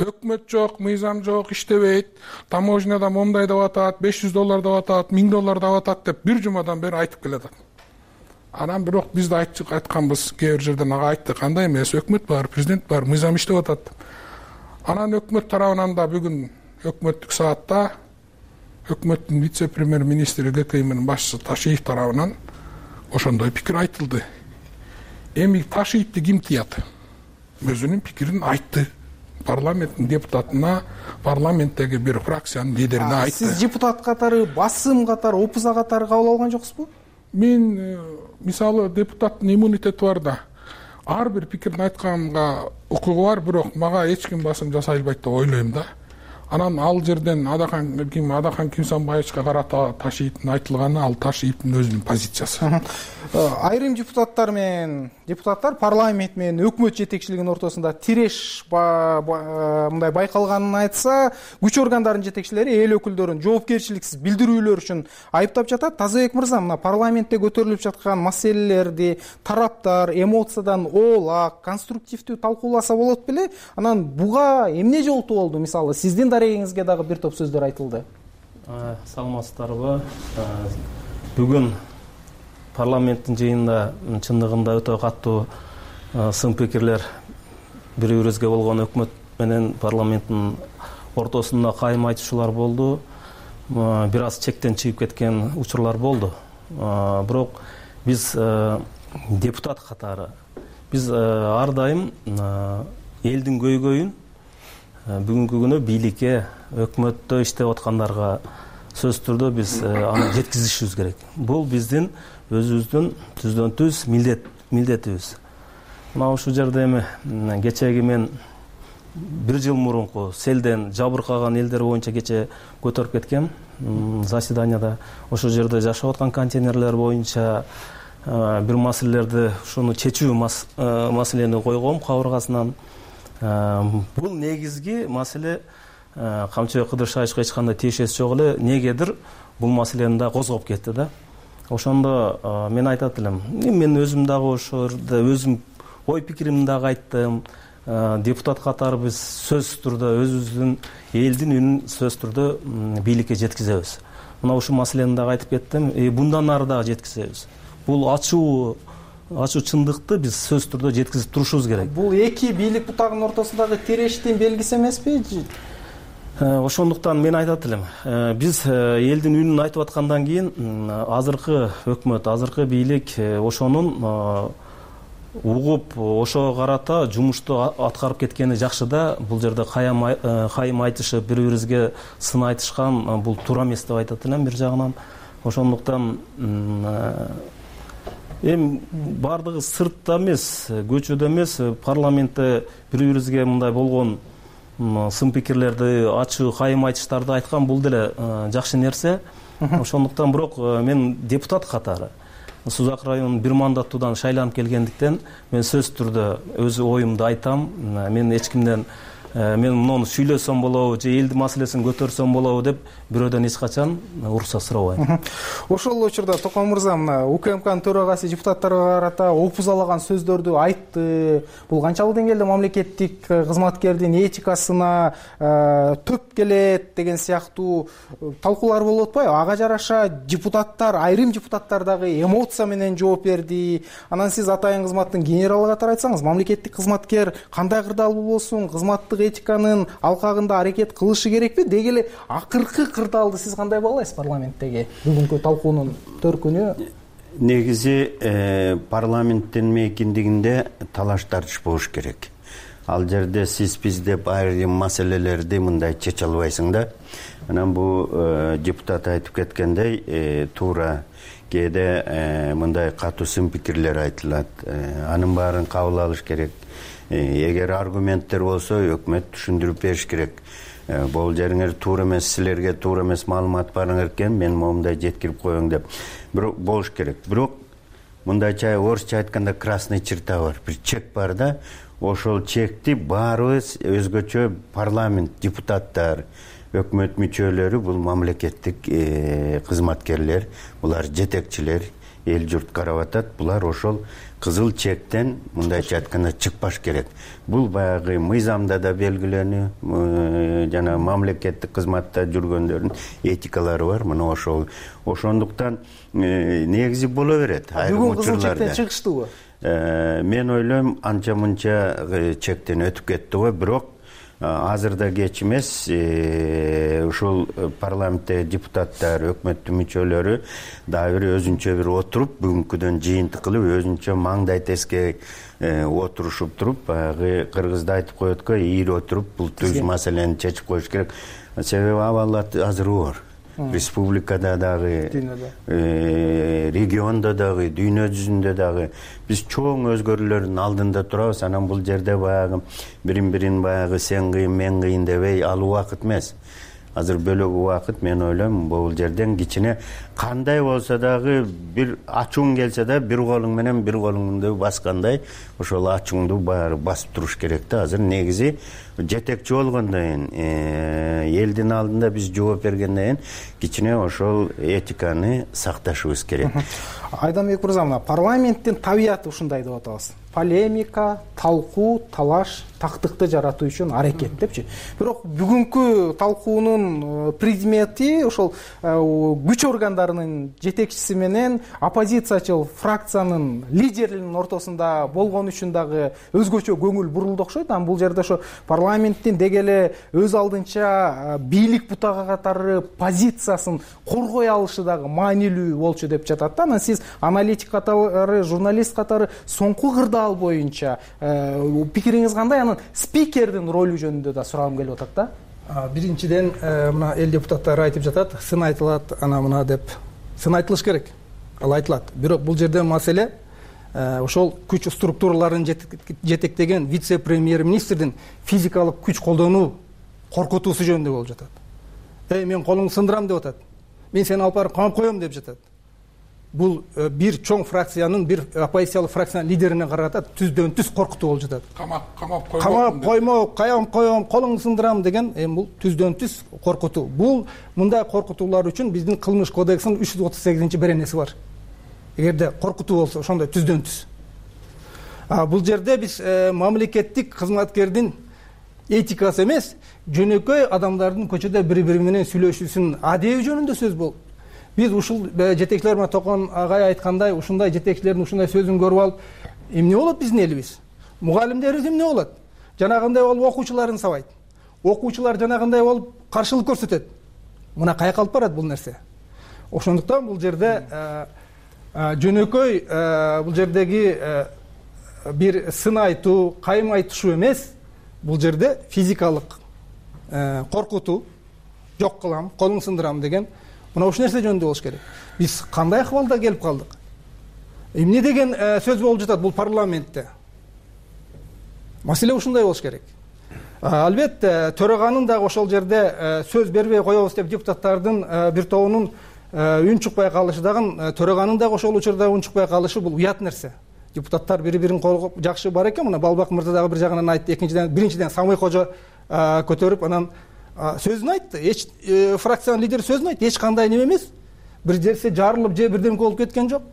Өкмөт жок, мыйзам жок, иштебейт, таможняда момундай деп атат, беш жүз доллар деп атат, миң доллар деп атат деп бир жумадан бери айтып келатат. Анан бирок биз да айтканбыз, кээ бир жерден ага айттык, андай эмес, өкмөт бар, президент бар, мыйзам иштеп атат. Анан өкмөт тарабынан да бүгүн өкмөттүк саатта өкмөттүн вице-премьер-министри ГКИМдин башчысы Ташиев тарабынан ошондой пикир айтылды. Эми Ташиевди ким тыят? Өзүнүн пикирин айтты. Парламенттин депутатына, парламенттеги бир фракциянын лидерине айтты. Сиз депутат катары, басым катары, опуза катары кабыл алган жоксузбу? Мен мисалы депутаттын иммунитети бар да. Ар бир пикирин айтканга укугу бар, бирок мага эч ким басым жасай албайт деп ойлойм да. Анан ал жерден Адахан ким Адахан Кимсанбаевичке карата Ташиевдин айтылганы ал Ташиевдин өзүнүн позициясы. Айрым депутаттар менен депутаттар парламент менен өкмөт жетекчилигинин ортосунда тиреш мындай байкалганын айтса, күч органдарынын жетекчилери эл өкүлдөрүн жоопкерчиликсиз билдирүүлөр үчүн айыптап жатат. Тазабек мырза, мына парламентте көтөрүлүп жаткан маселелерди тараптар эмоциядан оолак, конструктивдүү талкууласа болот беле? Анан буга эмне жолтуу болду? Мисалы, сиздин дарегиңизге дагы бир топ сөздөр айтылды. Саламатсыздарбы? Бүгүн парламенттин жыйынында чындыгында өтө катуу сын пикирлер бири-бирибизге болгон өкмөт менен парламенттин ортосунда кайым айтышуулар болду. Бир аз чектен чыгып кеткен учурлар болду. Бирок биз депутат катары биз ар дайым элдин көйгөйүн бүгүнкү күнү бийликке, өкмөттө иштеп аткандарга сөзсүз түрдө биз аны жеткизишибиз керек. Бул биздин өзүбүздүн түздөн түз милдет милдетибиз. Мына ушул жерде эми кечеги мен бир жыл мурунку селден жабыркаган элдер боюнча кече көтөрүп кеткем заседанияда. Ошол жерде жашап аткан контейнерлер боюнча бир маселелерди, ушуну чечүү маселени койгом кабыргасынан. Бул негизги маселе Камчыбек Кыдыршаевичке эч кандай тиешеси жок эле, негедир бул маселени да козгоп кетти да. Ошондо мен айтат элем, мен өзүм дагы ошол жерде өзүм ой пикиримди дагы айттым. Депутат катары биз сөзсүз түрдө өзүбүздүн элдин үнүн сөзсүз түрдө бийликке жеткизебиз. Мына ушул маселени дагы айтып кеттим. Bundan ары дагы жеткизебиз. Бул ачуу ачуу чындыкты биз сөзсүз түрдө жеткизип турушубуз керек. Бул эки бийлик бутагынын ортосундагы тирештин белгиси эмеспи? ошондуктан мен айтат элем, биз элдин үнүн айтып аткандан кийин азыркы өкмөт, азыркы бийлик ошонун угуп, ошого карата жумушту аткарып кеткени жакшы да. Бул жерде кайым айтышып, бири бирибизге сын айтышкан бул туура эмес деп айтат элем бир жагынан. Ошондуктан эми баардыгы сыртта эмес, көчөдө эмес, парламентте бири бирибизге мындай болгон сын пикирлерди, ачуу кайым айтыштарды айткан бул деле жакшы нерсе. Ошондуктан бирок мен депутат катары Сузак районунун бир мандаттуудан шайланып келгендиктен мен сөзсүз түрдө өз оюмду айтам. Мен эч кимден мен муну сүйлөсөм болобу же элдин маселесин көтөрсөм болобу деп бирөөдөн эч качан уруксат сурабайм. Ошол учурда Током мырза мына УКМКнын төрагасы депутаттарга карата опузалаган сөздөрдү айтты. Бул канчалык деңгээлде мамлекеттик кызматкердин этикасына төп келет деген сыяктуу талкуулар болуп атпайбы? Ага жараша депутаттар, айрым депутаттар дагы эмоция менен жооп берди. Анан сиз атайын кызматтын генералы катары айтсаңыз, мамлекеттик кызматкер кандай кырдаалуу болсун, кызматтык этиканын алкагында аракет кылышы керекпи? Деги эле акыркы кырдаалды сиз кандай баалайсыз парламенттеги бүгүнкү талкуунун төркүнү? Негизи парламенттин мейкиндигинде талаш тартыш болуш керек. Ал жерде сиз биз деп айрым маселелерди мындай чече албайсың да. Анан бул депутат айтып кеткендей туура кээде мындай катуу сын пикирлер айтылат. Анын баарын кабыл алыш керек. Эгер аргументтер болсо өкмөт түшүндүрүп бериш керек. Бул жериңер туура эмес, силерге туура эмес маалымат барыңар экен, мен момундай жеткирип коеюн деп бирок болуш керек. Бирок мындайча орусча айтканда красный черта бар, бир чек бар да. Ошол чекти баарыбыз өзгөчө парламент депутаттар, өкмөт мүчөлөрү, бул мамлекеттик кызматкерлер, булар жетекчилер, эл журт карап атат. Булар ошол кызыл чектен мындайча айтканда чыкпаш керек. Бул баягы мыйзамда да белгиленүү, жана мамлекеттик кызматта жүргөндөрдүн этикалары бар. Мына ошол. Ошондуктан негизи боло берет айрым учурларда. Бүгүн кызыл чектен чыгыштыбы? Мен ойлойм, анча мынча чектен өтүп кетти го, бирок азыр да кеч эмес. Ушул парламентте депутаттар, өкмөттүн мүчөлөрү дагы бир өзүнчө бир отуруп, бүгүнкүдөн жыйынтык кылып, өзүнчө маңдай теске отурушуп туруп, баягы кыргызда айтып коет го, ийри отуруп бул түз маселени чечип коюш керек. Себеби абалат азыр оор. Республикада дагы, региондо дагы, дүйнө жүзүндө дагы биз чоң өзгөрүүлөрдүн алдында турабыз. Анан бул жерде баягы бирин-бирин баягы сен кыйын, мен кыйын дебей ал убакыт эмес. Азыр бөлөк убакыт, мен ойлойм, бул жерден кичине кандай болсо дагы бир ачууң келсе да бир колуң менен бир колуңду баскандай ошол ачууңду баары басып туруш керек да. Азыр негизи жетекчи болгондон кийин, элдин алдында биз жооп бергенден кийин кичине ошол этиканы сакташыбыз керек. Айданбек мырза, мына парламенттин табияты ушундай деп атабыз. Полемика, талкуу, талаш, тактыкты жаратуу үчүн аракет депчи. Бирок бүгүнкү талкуунун предмети ошол күч органдарынын жетекчиси менен оппозициячыл фракциянын лидеринин ортосунда болгон үчүн дагы өзгөчө көңүл бурулду окшойт. Анан бул жерде ошо парламенттин деги эле өз алдынча бийлик бутага катары позициясын коргой алышы дагы маанилүү болчу деп жатат да. Анан сиз аналитик катары, журналист катары соңку кырдаал боюнча пикириңиз кандай? Анан спикердин ролу жөнүндө да сурагым келип атат да. Биринчиден, мына эл депутаттары айтып жатат, сын айтылат, ана мына деп. Сын айтылыш керек. Ал айтылат. Бирок бул жерде маселе ошол күч структураларын жетектеген вице-премьер-министрдин физикалык күч колдонуу коркутуусу жөнүндө болуп жатат. Эй, мен колуңду сындырам деп атат. Мен сени алып барып камап коем деп жатат. Бул бир чоң фракциянын, бир оппозициялык фракциянын лидерине карата түздөн түз коркутуу болуп жатат. Камап, камап коймо. Камап коймо, каям коем, колуңду сындырам деген эми бул түздөн түз коркутуу. Бул мындай коркутуулар үчүн биздин кылмыш кодексинин үч жүз отуз сегизинчи беренеси бар. Эгерде коркутуу болсо, ошондой түздөн түз. А бул жерде биз мамлекеттик кызматкердин этикасы эмес, жөнөкөй адамдардын көчөдө бири-бири менен сүйлөшүүсүнүн адеби жөнүндө сөз болду. Биз ушул жетекчилер менен Токон агай айткандай, ушундай жетекчилердин ушундай сөзүн көрүп алып, эмне болот биздин элибиз? Мугалимдерибиз эмне болот? Жанагындай болуп окуучуларын сабайт. окуучулар жанагындай болуп каршылык көрсөтөт. Мына каяка алып барат бул нерсе. Ошондуктан бул жерде жөнөкөй бул жердеги бир сын айтуу, кайым айтышуу эмес, бул жерде физикалык коркутуу, жок кылам, колуң сындырам деген мына ушул нерсе жөнүндө болуш керек. Биз кандай акыбалда келип калдык? Эмне деген сөз болуп жатат бул парламентте? Маселе ушундай болуш керек. Албетте, төраганын дагы ошол жерде сөз бербей коебуз деп депутаттардын бир тобунун үн чыкпай калышы дагы, төраганын дагы ошол учурда үн чыкпай калышы бул уят нерсе. Депутаттар бири-бирин колгоп жакшы бар экен. Мына Балбак мырза дагы бир жагынан айтты. Экинчиден, биринчиден Самый Кожо көтөрүп анан сөзүн айтты. Эч фракциянын лидери сөзүн айтты. Эч кандай неме эмес. Бир жерсе жарылып же бирдеме болуп кеткен жок.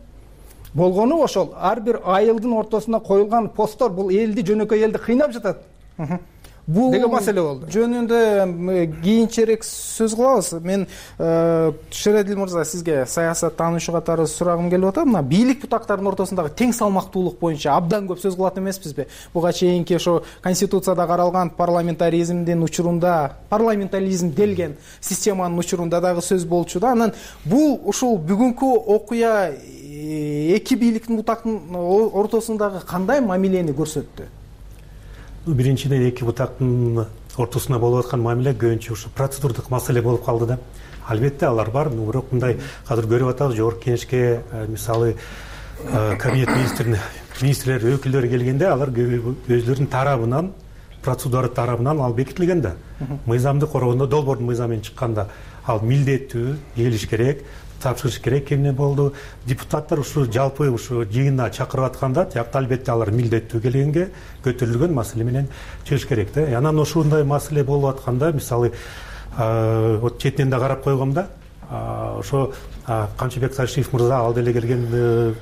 Болгону ошол ар бир айылдын ортосуна коюлган посттор бул элди, жөнөкөй элди кыйнап жатат. Бул деген маселе болду. Жөнүндө кийинчерээк сөз кылабыз. Мен Шерадил мырза, сизге саясат таануучу катары сурагым келип атат. Мына бийлик бутактарынын ортосундагы тең салмактуулук боюнча абдан көп сөз кылат эмеспизби? Буга чейинки ошо Конституцияда каралган парламентаризмдин учурунда, парламентаризм делген системанын учурунда дагы сөз болчу да. Анан бул ушул бүгүнкү окуя эки бийликтин бутактын ортосундагы кандай мамилени көрсөттү? Биринчиден эки бутактын ортосунда болуп аткан мамиле көбүнчө ушу процедурдук маселе болуп калды да. Албетте алар бар, бирок мындай азыр көрүп атабыз, жогорку кеңешке мисалы кабинет министрин министрлер өкүлдөрү келгенде алар өзлөрүнүн тарабынан, процедура тарабынан ал бекитилген да. Мыйзамды коргондо долбоордун мыйзамы менен чыкканда ал милдеттүү келиш керек, тапшырыш керек эмне болду. Депутаттар ушу жалпы ушу жыйынына чакырып атканда, тиякта албетте алар милдеттүү келгенге көтөрүлгөн маселе менен чыгыш керек да. Анан ошондой маселе болуп атканда, мисалы, вот четинен да карап койгом да, ошо Камчыбек Сарышев мырза ал деле келген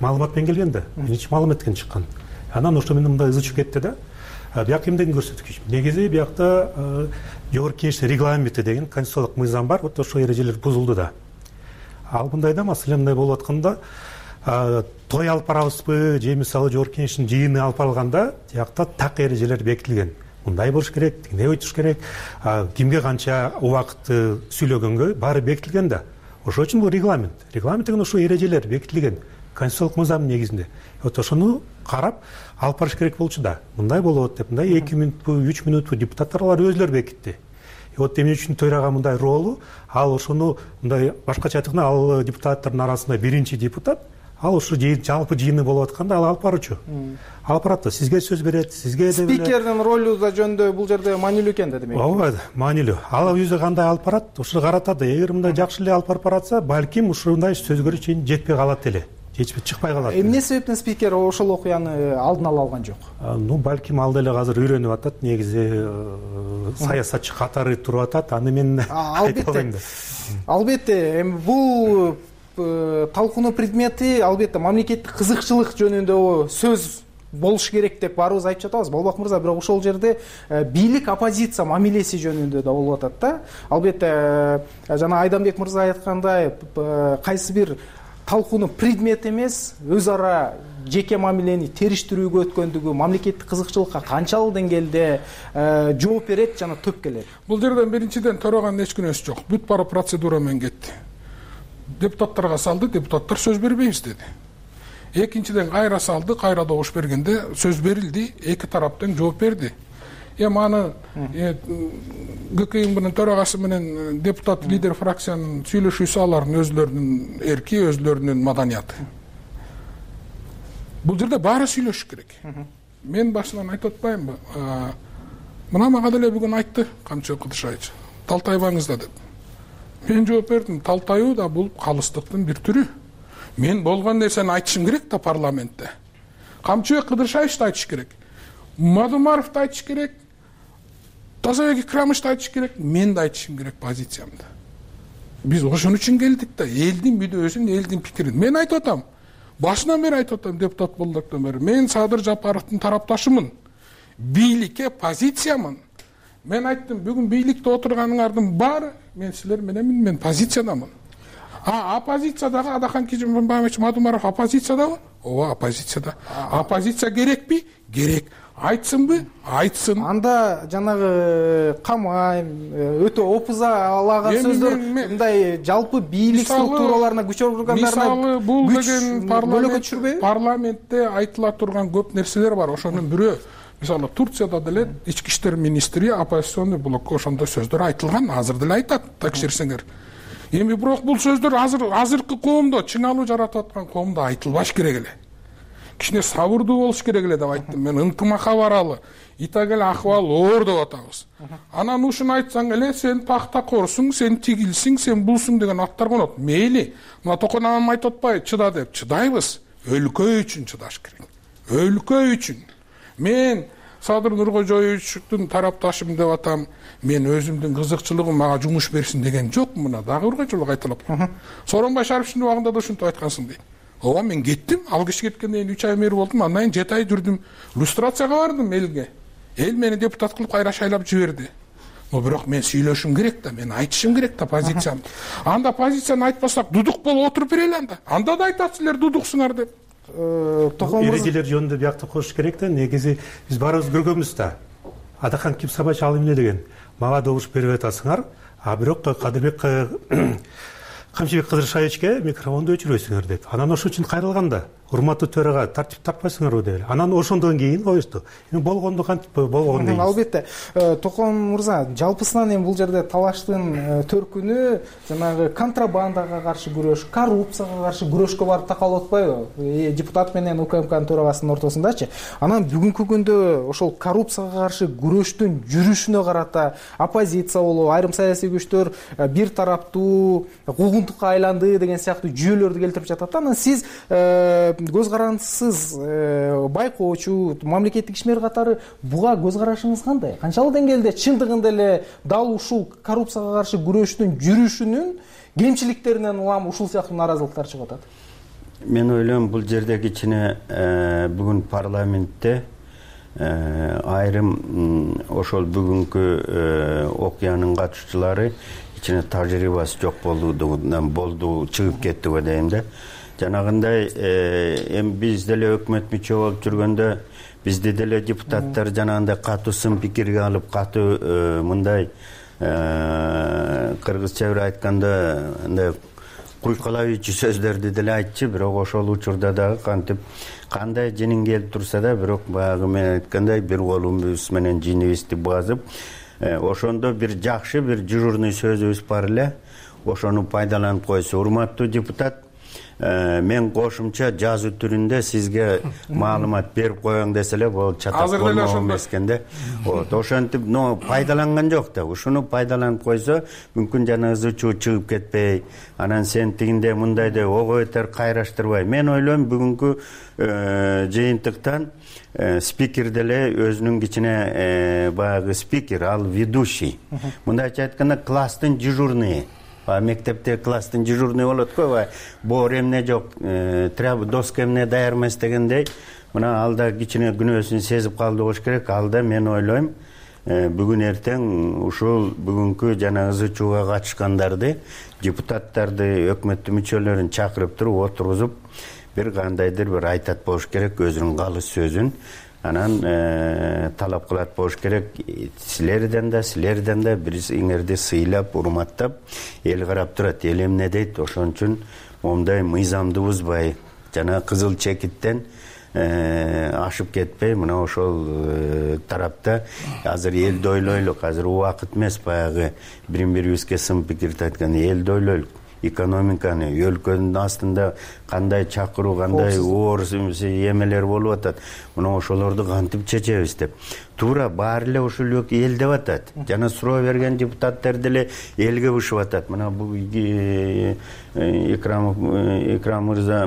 маалымат менен келген да. Биринчи маалымат менен чыккан. Анан ошо менен мындай ызычып кетти да. Бияк эмнеден көрсөткүч? Негизи биякта жогорку кеңештин регламенти деген конституциялык мыйзам бар. Вот ошол эрежелер бузулду да. Ал мындайда маселе мындай болуп атканда, той алып барабызбы же мисалы жогорку кеңештин жыйыны алып барылганда, тиякта так эрежелер бекитилген. Мындай болуш керек, тигиндей өтүш керек, кимге канча убакытты сүйлөгөнгө баары бекитилген да. Ошол үчүн бул регламент. Регламент деген ушул эрежелер бекитилген конституциялык мыйзамдын негизинде. Вот ошону карап алып барыш керек болчу да. Мындай болот деп, мындай эки мүнөтпү, үч мүнөтпү депутаттар алар өзлөрү бекитти. Вот эмне үчүн төрага мындай ролу, ал ошону мындай башкача айтканда ал депутаттардын арасында биринчи депутат, ал ушу жалпы жыйыны болуп атканда ал алып баруучу. Алып барат да, сизге сөз берет, сизге деп эле. Спикердин ролу да жөнүндө бул жерде маанилүү экен да демек. Ооба, маанилүү. Ал өзү кандай алып барат, ушуну каратат да. Эгер мындай жакшы эле алып барып баратса, балким ушундай сөзгө чейин жетпей калат эле. Чечпей чыкпай калат. Эмне себептен спикер ошол окуяны алдын ала алган жок? Ну, балким ал деле азыр үйрөнүп атат, негизи саясатчы катары туруп атат, аны мен айта албайм да. Албетте, эми бул талкуунун предмети албетте мамлекеттик кызыкчылык жөнүндө сөз болуш керек деп баарыбыз айтып жатабыз. Балбак мырза, бирок ошол жерде бийлик оппозиция мамилеси жөнүндө да болуп атат да. Албетте, жана Айданбек мырза айткандай, кайсы бир талкуунун предмети эмес, өз ара жеке мамилени териштирүүгө өткөндүгү, мамлекеттик кызыкчылыкка канчалык деңгээлде жооп берет жана төп келет. Бул жерден биринчиден төраганын эч күнөөсү жок. Бүт бара процедура менен кетти. Депутаттарга салды, депутаттар сөз бербейбиз деди. Экинчиден кайра салды, кайра добуш бергенде сөз берилди, эки тараптан жооп берди. Эми аны ГКИ менен төрагасы менен депутат лидер фракциянын сүйлөшүүсү алардын өзлөрүнүн эрки, өзлөрүнүн маданияты. Бул жерде баары сүйлөшүш керек. Мен башынан айтып атпаймынбы? Мына мага деле бүгүн айтты Камчыбек Кыдышбаевич. Талтайбаңыз да деп. Мен жооп бердим, талтайуу да бул калыстыктын бир түрү. Мен болгон нерсени айтышым керек да парламентте. Камчыбек Кыдышбаевич да айтыш керек. Мадумаров да айтыш керек. Тазабек Икрамович да айтыш керек. Мен да айтышым керек позициямды. Биз ошон үчүн келдик да, элдин мүдөөсүн, элдин пикирин. Мен айтып атам. Башынан бери айтып атам, депутат болдуктан бери. Мен Садыр Жапаровдун тарапташымын. Бийликке позициямын. Мен айттым, бүгүн бийликте отурганыңардын баары мен силер мененмин, мен позициядамын. А оппозициядагы Адахан Кижимбаевич Мадумаров оппозициядабы? Ооба, оппозицияда. Оппозиция керекпи? Керек. айтсынбы, айтсын. Анда жанагы камайм, өтө опуза алаган сөздөр мындай жалпы бийлик структураларына күч органдарына мисалы бул деген парламент парламентте айтыла турган көп нерселер бар. Ошонун бирөө мисалы Турцияда деле ички иштер министри оппозиционный блокко ошондой сөздөр айтылган, азыр деле айтат, текшерсеңер. Эми бирок бул сөздөр азыр азыркы коомдо, чыңалуу жаратып аткан коомдо айтылбаш керек эле. Кичине сабырдуу болуш керек эле деп айттым. Мен ынтымакка баралы, итак эле акыбал оор деп атабыз. Анан ушуну айтсаң эле сен пахтакорсуң, сен тигилсиң, сен булсуң деген аттар конот. Мейли, мына Токон анам айтып атпайбы, чыда деп. Чыдайбыз. Өлкө үчүн чыдаш керек. Өлкө үчүн. Мен Садыр Нуркожоевичтин тарапташым деп атам. Мен өзүмдүн кызыкчылыгым мага жумуш берсин деген жок, мына дагы бир жолу кайталап. Сооронбай Шариповичтин убагында да ушинтип айткансың дейт. Ооба, мен кеттим, ал киши кеткенден кийин үч ай мэр болдум, андан кийин жети ай жүрдүм, люстрацияга бардым элге. Эл мени депутат кылып кайра шайлап жиберди. Но бирок мен сүйлөшүм керек да, мен айтышым керек да позициямды. Анда позицияны айтпасак дудук болуп отуруп берели анда. Анда да айтат силер дудуксуңар деп. Эрежелер жөнүндө биякта коюш керек да, негизи биз баарыбыз көргөнбүз да. Адахан Кимсабач ал эмне деген? Мага добуш берип атасыңар, а бирок Кадырбек Камчыбек Кыдыршаевичке микрофонду өчүрбөйсүңөр деп. Анан ошон үчүн кайрылган да. Урматтуу төрага тартип таппайсыңарбы деп. Анан ошондон кийин коюшту. Эми болгондо кантип болгон дейбиз. Албетте. Токон мырза, жалпысынан эми бул жерде талаштын төркүнү жанагы контрабандага каршы күрөш, коррупцияга каршы күрөшкө барып такалып атпайбы? Депутат менен УКМКнын төрагасынын ортосундачы. Анан бүгүнкү күндө ошол коррупцияга каршы күрөштүн жүрүшүнө карата оппозиция болобу, айрым саясий күчтөр бир тараптуу куугунтукка айланды деген сыяктуу жүйөлөрдү келтирип жатат. Анан сиз көз карандысыз байкоочу мамлекеттик ишмер катары буга көз карашыңыз кандай? Канчалык деңгээлде чындыгында эле дал ушул коррупцияга каршы күрөштүн жүрүшүнүн кемчиликтеринен улам ушул сыяктуу нааразылыктар чыгып атат? Мен ойлойм бул жерде кичине бүгүн парламентте айрым ошол бүгүнкү окуянын катышчылары кичине тажрыйбасы жок болдугунан болду, чыгып кетти го дейм да. Жанагындай эми биз деле өкмөт мүчө болуп жүргөндө бизди деле депутаттар жанагындай катуу сын пикирге алып, катуу мындай кыргызча бир айтканда андай куйкалабыйчу сөздөрдү деле айтчу, бирок ошол учурда дагы кантип кандай жинин келип турса да, бирок баягы мен айткандай бир колубуз менен жинибизди базып, ошондо бир жакшы бир дежурный сөзүбүз бар эле, ошону пайдаланып койсо. Урматтуу депутат, мен кошумча жазуу түрүндө сизге маалымат берип коеюн десе эле болот, чатак болмок эмес экен да. Вот, ошентип, но пайдаланган жок да. Ушуну пайдаланып койсо, мүмкүн жана ызы чуу чыгып кетпей, анан сен тигинде мындай деп ого бетер кайраштырбай. Мен ойлойм бүгүнкү жыйынтыктан спикер деле өзүнүн кичине баягы спикер, ал ведущий. Мындайча айтканда класстын дежурный. Мектепте класстын дежурный болот го, боор эмне жок, треба доска эмне даяр эмес дегендей, мына ал да кичине күнөөсүн сезип калды болуш керек. Ал да мен ойлойм бүгүн эртең ушул бүгүнкү жана ызы чууга катышкандарды, депутаттарды, өкмөттүн мүчөлөрүн чакырып туруп отургузуп, бир кандайдыр бир айтат болуш керек өзүнүн калыс сөзүн. Анан талап кылат болуш керек. Силерден да, силерден да бириңерди сыйлап, урматтап, эл карап турат, эл эмне дейт. Ошон үчүн момундай мыйзамды бузбай, жана кызыл чекиттен ашып кетпей, мына ошол тарапта азыр элди ойлойлук. Азыр убакыт эмес баягы бирин-бирибизге сын пикирди айткан, элди ойлойлук. Экономиканы, өлкөнүн астында кандай чакыруу, кандай оор эмелер болуп атат, мына ошолорду кантип чечебиз деп. Туура баары эле ушул эл деп атат. Жана суроо берген депутаттар деле элге бушуп атат. Мына бул Икрам Икрам мырза,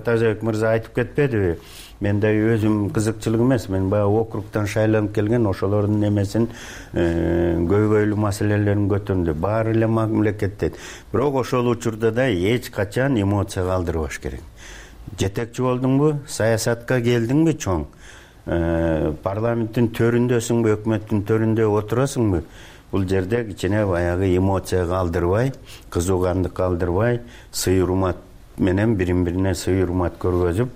Тазабек мырза айтып кетпедиби? Мен да өзүм кызыкчылык эмес, мен баягы округтан шайланып келген, ошолордун эмесин көйгөйлүү маселелерин көтөрдү. Баары эле мамлекетте. Бирок ошол учурда да эч качан эмоция калтырбаш керек. Жетекчи болдуңбу, саясатка келдиңби чоң, парламенттин төрүндөсүңбү, өкмөттүн төрүндө отурасыңбы, бул жерде кичине баягы эмоция калтырбай, кызуугандык калтырбай, сый урмат менен бирин-бирине сый урмат көргөзүп,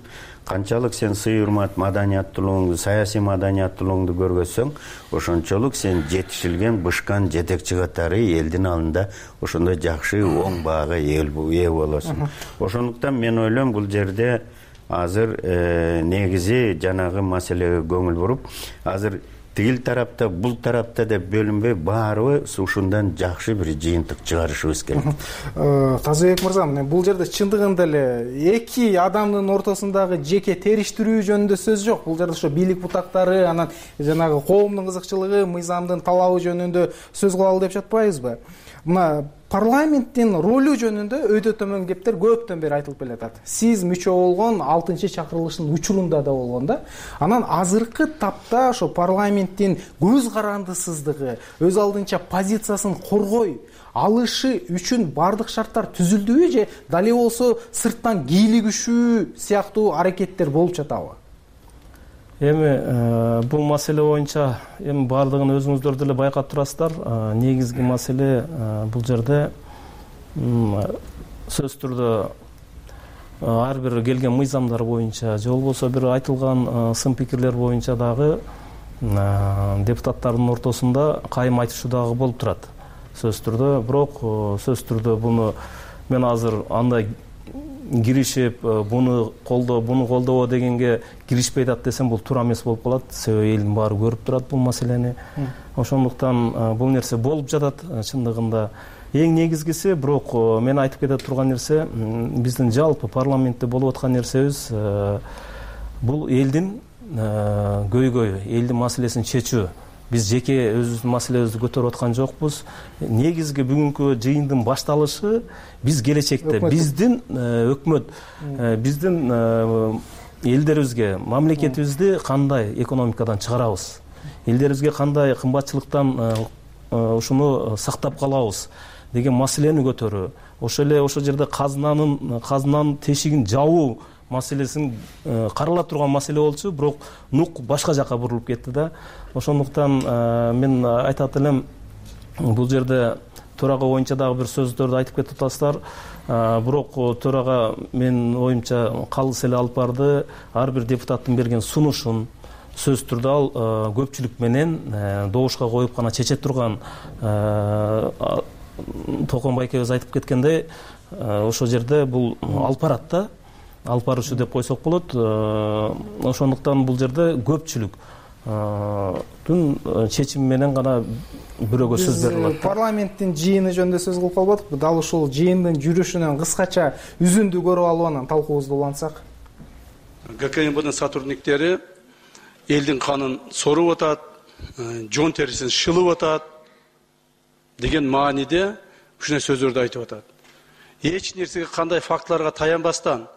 канчалык сен сый урмат маданияттуулугуңду, саясий маданияттуулугуңду көргөзсөң, ошончолук сен жетишилген бышкан жетекчи катары элдин алдында ошондой жакшы оң баага ээ болосуң. Ошондуктан мен ойлойм бул жерде азыр негизи жанагы маселеге көңүл буруп, азыр тигил тарапта, бул тарапта деп бөлүнбөй, баарыбыз ушундан жакшы бир жыйынтык чыгарышыбыз керек. Тазыбек мырза, бул жерде чындыгында эле эки адамдын ортосундагы жеке териштирүү жөнүндө сөз жок. Бул жерде ошо бийлик бутактары, анан жанагы коомдун кызыкчылыгы, мыйзамдын талабы жөнүндө сөз кылалы деп жатпайбызбы? Мына парламенттин ролу жөнүндө өйдө төмөн кептер көптөн бери айтылып келатат. Сиз мүчө болгон алтынчы чакырылыштын учурунда да болгон да. Анан азыркы тапта ошо парламенттин көз карандысыздыгы, өз алдынча позициясын коргой алышы үчүн бардык шарттар түзүлдүбү же дали болсо сырттан кийлигишүү сыяктуу аракеттер болуп жатабы? Эми бул маселе боюнча эми баардыгын өзүңүздөр деле байкап турасыздар. Негизги маселе бул жерде сөзсүз түрдө ар бир келген мыйзамдар боюнча же болбосо бир айтылган сын пикирлер боюнча дагы депутаттардын ортосунда кайым айтышуу дагы болуп турат. Сөзсүз түрдө, бирок сөзсүз түрдө буну мен азыр андай киришип, буну колдоо, буну колдобо дегенге киришпей атат десем, бул туура эмес болуп калат. Себеби элдин баары көрүп турат бул маселени. Ошондуктан бул нерсе болуп жатат чындыгында. Эң негизгиси, бирок мен айтып кете турган нерсе, биздин жалпы парламентте болуп аткан нерсебиз бул элдин көйгөйү, элдин маселесин чечүү. Биз жеке өзүбүздүн маселебизди көтөрүп аткан жокпуз. Негизги бүгүнкү жыйындын башталышы биз келечекте биздин өкмөт, биздин элдерибизге, мамлекетибизди кандай экономикадан чыгарабыз, элдерибизге кандай кымбатчылыктан ушуну сактап калабыз деген маселени көтөрүү. Ошо эле ошол жерде казынанын казынанын тешигин жабуу маселесин карала турган маселе болчу, бирок нук башка жака бурулуп кетти да. Ошондуктан мен айтат элем, бул жерде төрага боюнча дагы бир сөздөрдү айтып кетип атасыздар. Бирок төрага мен оюмча калыс эле алып барды, ар бир депутаттын берген сунушун сөзсүз түрдө ал көпчүлүк менен добушка коюп гана чече турган. Токон байкебиз айтып кеткендей, ошол жерде бул алып барат да. Алып баруучу деп койсок болот. Ошондуктан бул жерде көпчүлүк түн чечими менен гана бирөөгө сөз берилет. Парламенттин жыйыны жөнүндө сөз кылып калбадык. Дал ушул жыйындын жүрүшүнөн кыскача үзүндү көрүп алып анан талкуубузду улантсак. ГКМБдын сотрудниктери элдин канын соруп атат, жон терисин шылып атат деген мааниде ушундай сөздөрдү айтып атат. Эч нерсеге кандай фактыларга таянбастан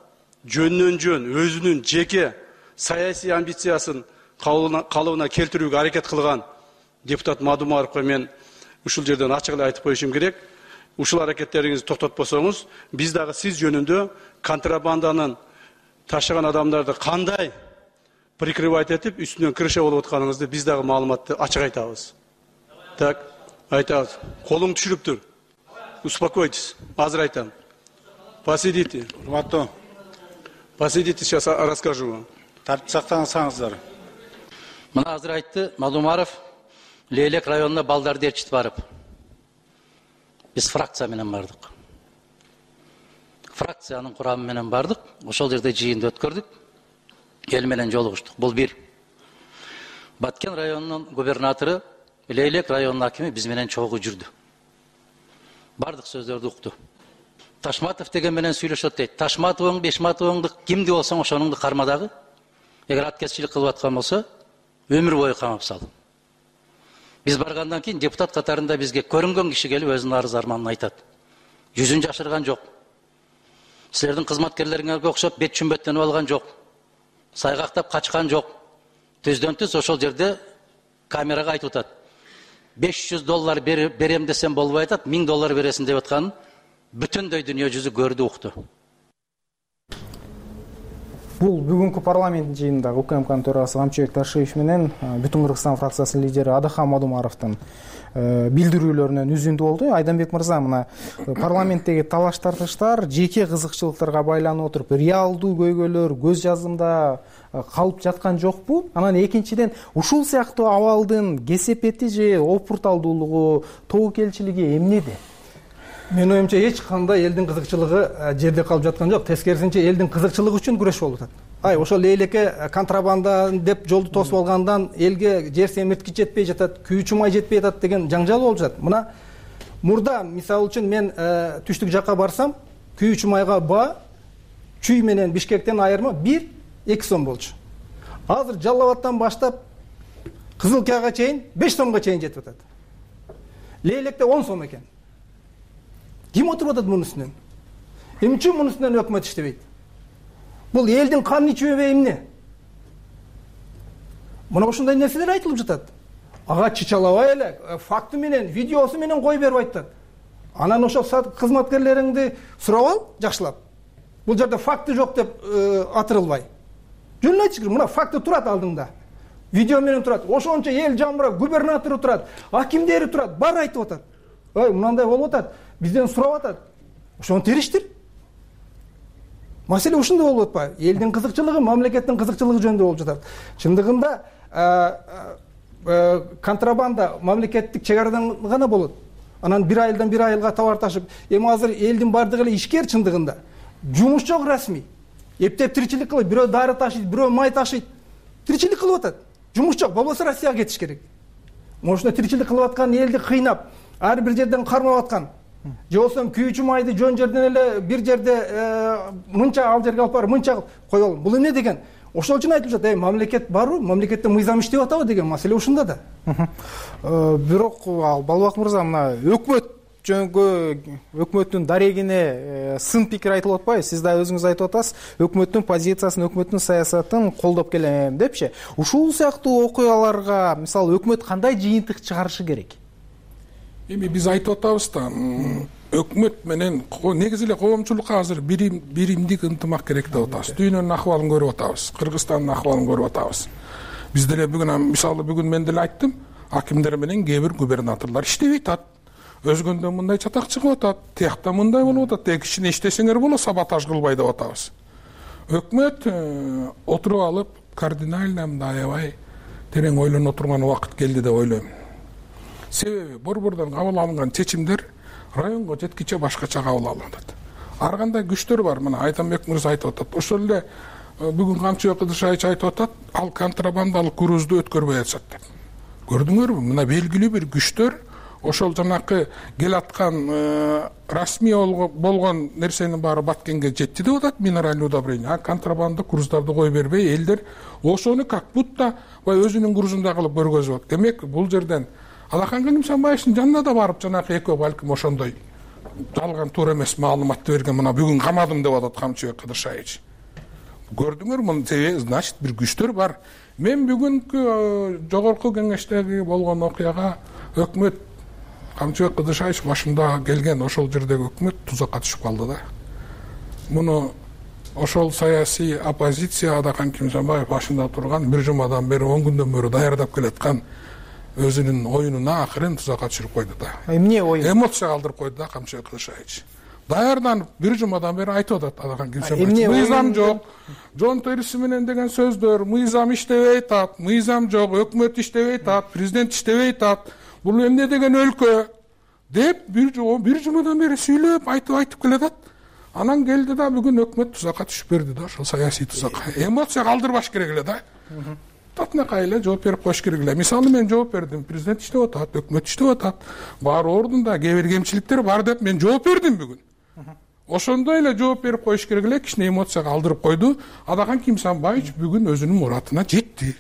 жөндөн жөн өзүнүн жеке саясий амбициясын калыбына келтирүүгө аракет кылган депутат Мадумаровго мен ушул жерден ачык эле айтып коюшум керек. Ушул аракеттериңизди токтотпосоңуз, биз дагы сиз жөнүндө контрабанданын ташыган адамдарды кандай прикрывать этип, үстүнөн крыша болуп атканыңызды биз дагы маалыматты ачык айтабыз. Так, айтабыз. Колуң түшүрүптүр. Успокойтесь. Азыр айтам. Посидите. Урматтуу. Посидите, сейчас расскажу вам. Тартип сактансаңыздар. Мына азыр айтты Мадумаров, Лейлек районуна балдарды ээрчитип барып. Биз фракция менен бардык. Фракциянын курамы менен бардык. Ошол жерде жыйынды өткөрдүк. Эл менен жолугуштук. Бул бир. Баткен районунун губернатору, Лейлек районунун акими биз менен чогуу жүрдү. Бардык сөздөрдү укту. Ташматов деген менен сүйлөшөт дейт. Ташматовың, Бешматовыңды кимди болсоң ошонуңду карма дагы. Эгер аткезчилик кылып аткан болсо, өмүр бою камап сал. Биз баргандан кийин депутат катарында бизге көрүнгөн киши келип өзүнүн арыз арманын айтат. Жүзүн жашырган жок. Силердин кызматкерлериңерге окшоп бет чүмбөттөнүп алган жок. Сайгактап качкан жок. Түздөн түз ошол жерде камерага айтып атат. беш жүз доллар берем десем болбой атат, миң доллар бересиң деп атканын бүтүндөй дүйнө жүзү көрдү, укту. бул бүгүнкү парламент жыйынында УКМКнын төрагасы Камчыбек Ташиев менен Бүтүн Кыргызстан фракциясынын лидери Адахам Мадумаровдун билдирүүлөрүнөн үзүндү болду. Айданбек мырза, мына парламенттеги талаш тартыштар жеке кызыкчылыктарга байланып отуруп реалдуу көйгөйлөр көз жазымда калып жаткан жокпу? Анан экинчиден, ушул сыяктуу абалдын кесепети же опурталдуулугу, тобокелчилиги эмнеде? Менин оюмча эч кандай элдин кызыкчылыгы жерде калып жаткан жок. Тескерисинче элдин кызыкчылыгы үчүн күрөш болуп атат. Ай, ошол элеке контрабанда деп жолду тосуп алгандан элге жер семирткич жетпей жатат, күйүүчү май жетпей жатат деген жаңжал болуп жатат. Мына мурда мисалы үчүн мен түштүк жакка барсам, күйүүчү майга баа Чүй менен Бишкектен айырма бир эки сом болчу. Азыр Жалал Абадтан баштап Кызылкияга чейин беш сомго чейин жетип атат. Лейлекте он сом экен. Ким отуруп атат мунун үстүнөн? Эмне үчүн мунун үстүнөн өкмөт иштебейт? Бул элдин канын ичүүбү эмне? Мына ушундай нерселер айтылып жатат. Ага чычалабай эле факты менен, видеосу менен кой берип айтат. Анан ошол кызматкерлериңди сурап ал, жакшылап. Бул жерде факты жок деп атырылбай. Жөн эле айтыш керек. Мына факты турат алдыңда. Видео менен турат. Ошончо эл жамырап, губернатору турат, акимдери турат, баары айтып атат. Ой, мынандай болуп атат. Бизден сурап атат. Ошону териштир. Маселе ушундай болуп атпайбы? Элдин кызыкчылыгы, мамлекеттин кызыкчылыгы жөнүндө болуп жатат. Чындыгында контрабанда мамлекеттик чек арадан гана болот. Анан бир айылдан бир айылга товар ташып, эми азыр элдин бардыгы эле ишкер чындыгында. Жумуш жок расмий. Эптеп тиричилик кылып, бирөө дары ташыйт, бирөө май ташыйт. Тиричилик кылып атат. Жумуш жок, болбосо Россияга кетиш керек. Ошондой тиричилик кылып аткан элди кыйнап, ар бир жерден кармап аткан. Же болсо күйүүчү майды жөн жерден эле бир жерде мынча ал жерге алып барып, мынча коелу. Бул эмне деген? Ошол үчүн айтылып жатат, мамлекет барбы? Мамлекетте мыйзам иштеп атабы деген маселе ушунда да. Бирок Балбак мырза, мына өкмөт жөнгө өкмөттүн дарегине сын пикир айтылып атпайбы? Сиз да өзүңүз айтып атасыз, өкмөттүн позициясын, өкмөттүн саясатын колдоп келем депчи. Ушул сыяктуу окуяларга мисалы өкмөт кандай жыйынтык чыгарышы керек? Эми биз айтып атабыз да, өкмөт менен негизи эле коомчулукка азыр биримдик ынтымак керек деп атабыз. Дүйнөнүн акыбалын көрүп атабыз, Кыргызстандын акыбалын көрүп атабыз. Биз деле бүгүн мисалы бүгүн мен деле айттым, акимдер менен кээ бир губернаторлор иштебей атат. Өзгөндө мындай чатак чыгып атат, тиякта мындай болуп атат, тээ кичине иштесеңер болот, саботаж кылбай деп атабыз. Өкмөт отуруп алып, кардинально мындай аябай терең ойлоно турган убакыт келди деп ойлойм. Себеби борбордон кабыл алынган чечимдер районго жеткиче башкача кабыл алынат. Ар кандай күчтөр бар, мына Айданбек мырза айтып атат. Ошол эле бүгүн Камчыбек Кыдыршаевич айтып атат, ал контрабандалык грузду өткөрбөй атышат деп. Көрдүңөрбү? Мына белгилүү бир күчтөр ошол жанакы келаткан расмий болгон нерсенин баары Баткенге жетти деп атат, минеральный удобрение. А контрабанда груздарды кой бербей, элдер ошону как будто өзүнүн грузунда кылып көргөзүп атат. Демек, бул жерден Алахан Калимжанбаевдин жанына да барып жанакы экөө балким ошондой жалган туура эмес маалыматты берген, мына бүгүн камадым деп атат Камчыбек Кыдыршаевич. Көрдүңөр, муну значит бир күчтөр бар. Мен бүгүнкү жогорку кеңештеги болгон окуяга өкмөт Камчыбек Кыдыршаевич башында келген ошол жердеги өкмөт тузакка түшүп калды да. Муну ошол саясий оппозиция Адакан Кимжанбаев башында турган бир жумадан бери он күндөн бери даярдап келаткан өзүнүн оюнуна акырын тузакка түшүрүп койду да. Эмне ою? Эмоция калтырып койду да Камчыбек Кыдыршаевич. Даярданып бир жумадан бери айтып атат Адакан Кимжанбаевич. Мыйзам жок, жон териси менен деген сөздөр, мыйзам иштебей атат, мыйзам жок, өкмөт иштебей атат, президент иштебей атат. Бул эмне деген өлкө деп бир бир жумадан бери сүйлөп айтып айтып келатат. Анан келди да бүгүн өкмөт тузакка түшүп берди да, ошол саясий тузакка. Эмоция калтырбаш керек эле да. Татынакай эле жооп берип коюш керек эле. Мисалы мен жооп бердим, президент иштеп атат, өкмөт иштеп атат. Баары ордунда, кээ бир кемчиликтер бар деп мен жооп бердим бүгүн. Ошондой эле жооп берип коюш керек эле, кичине эмоция калтырып койду. Адакан Кимжанбаевич бүгүн өзүнүн муратына жетти.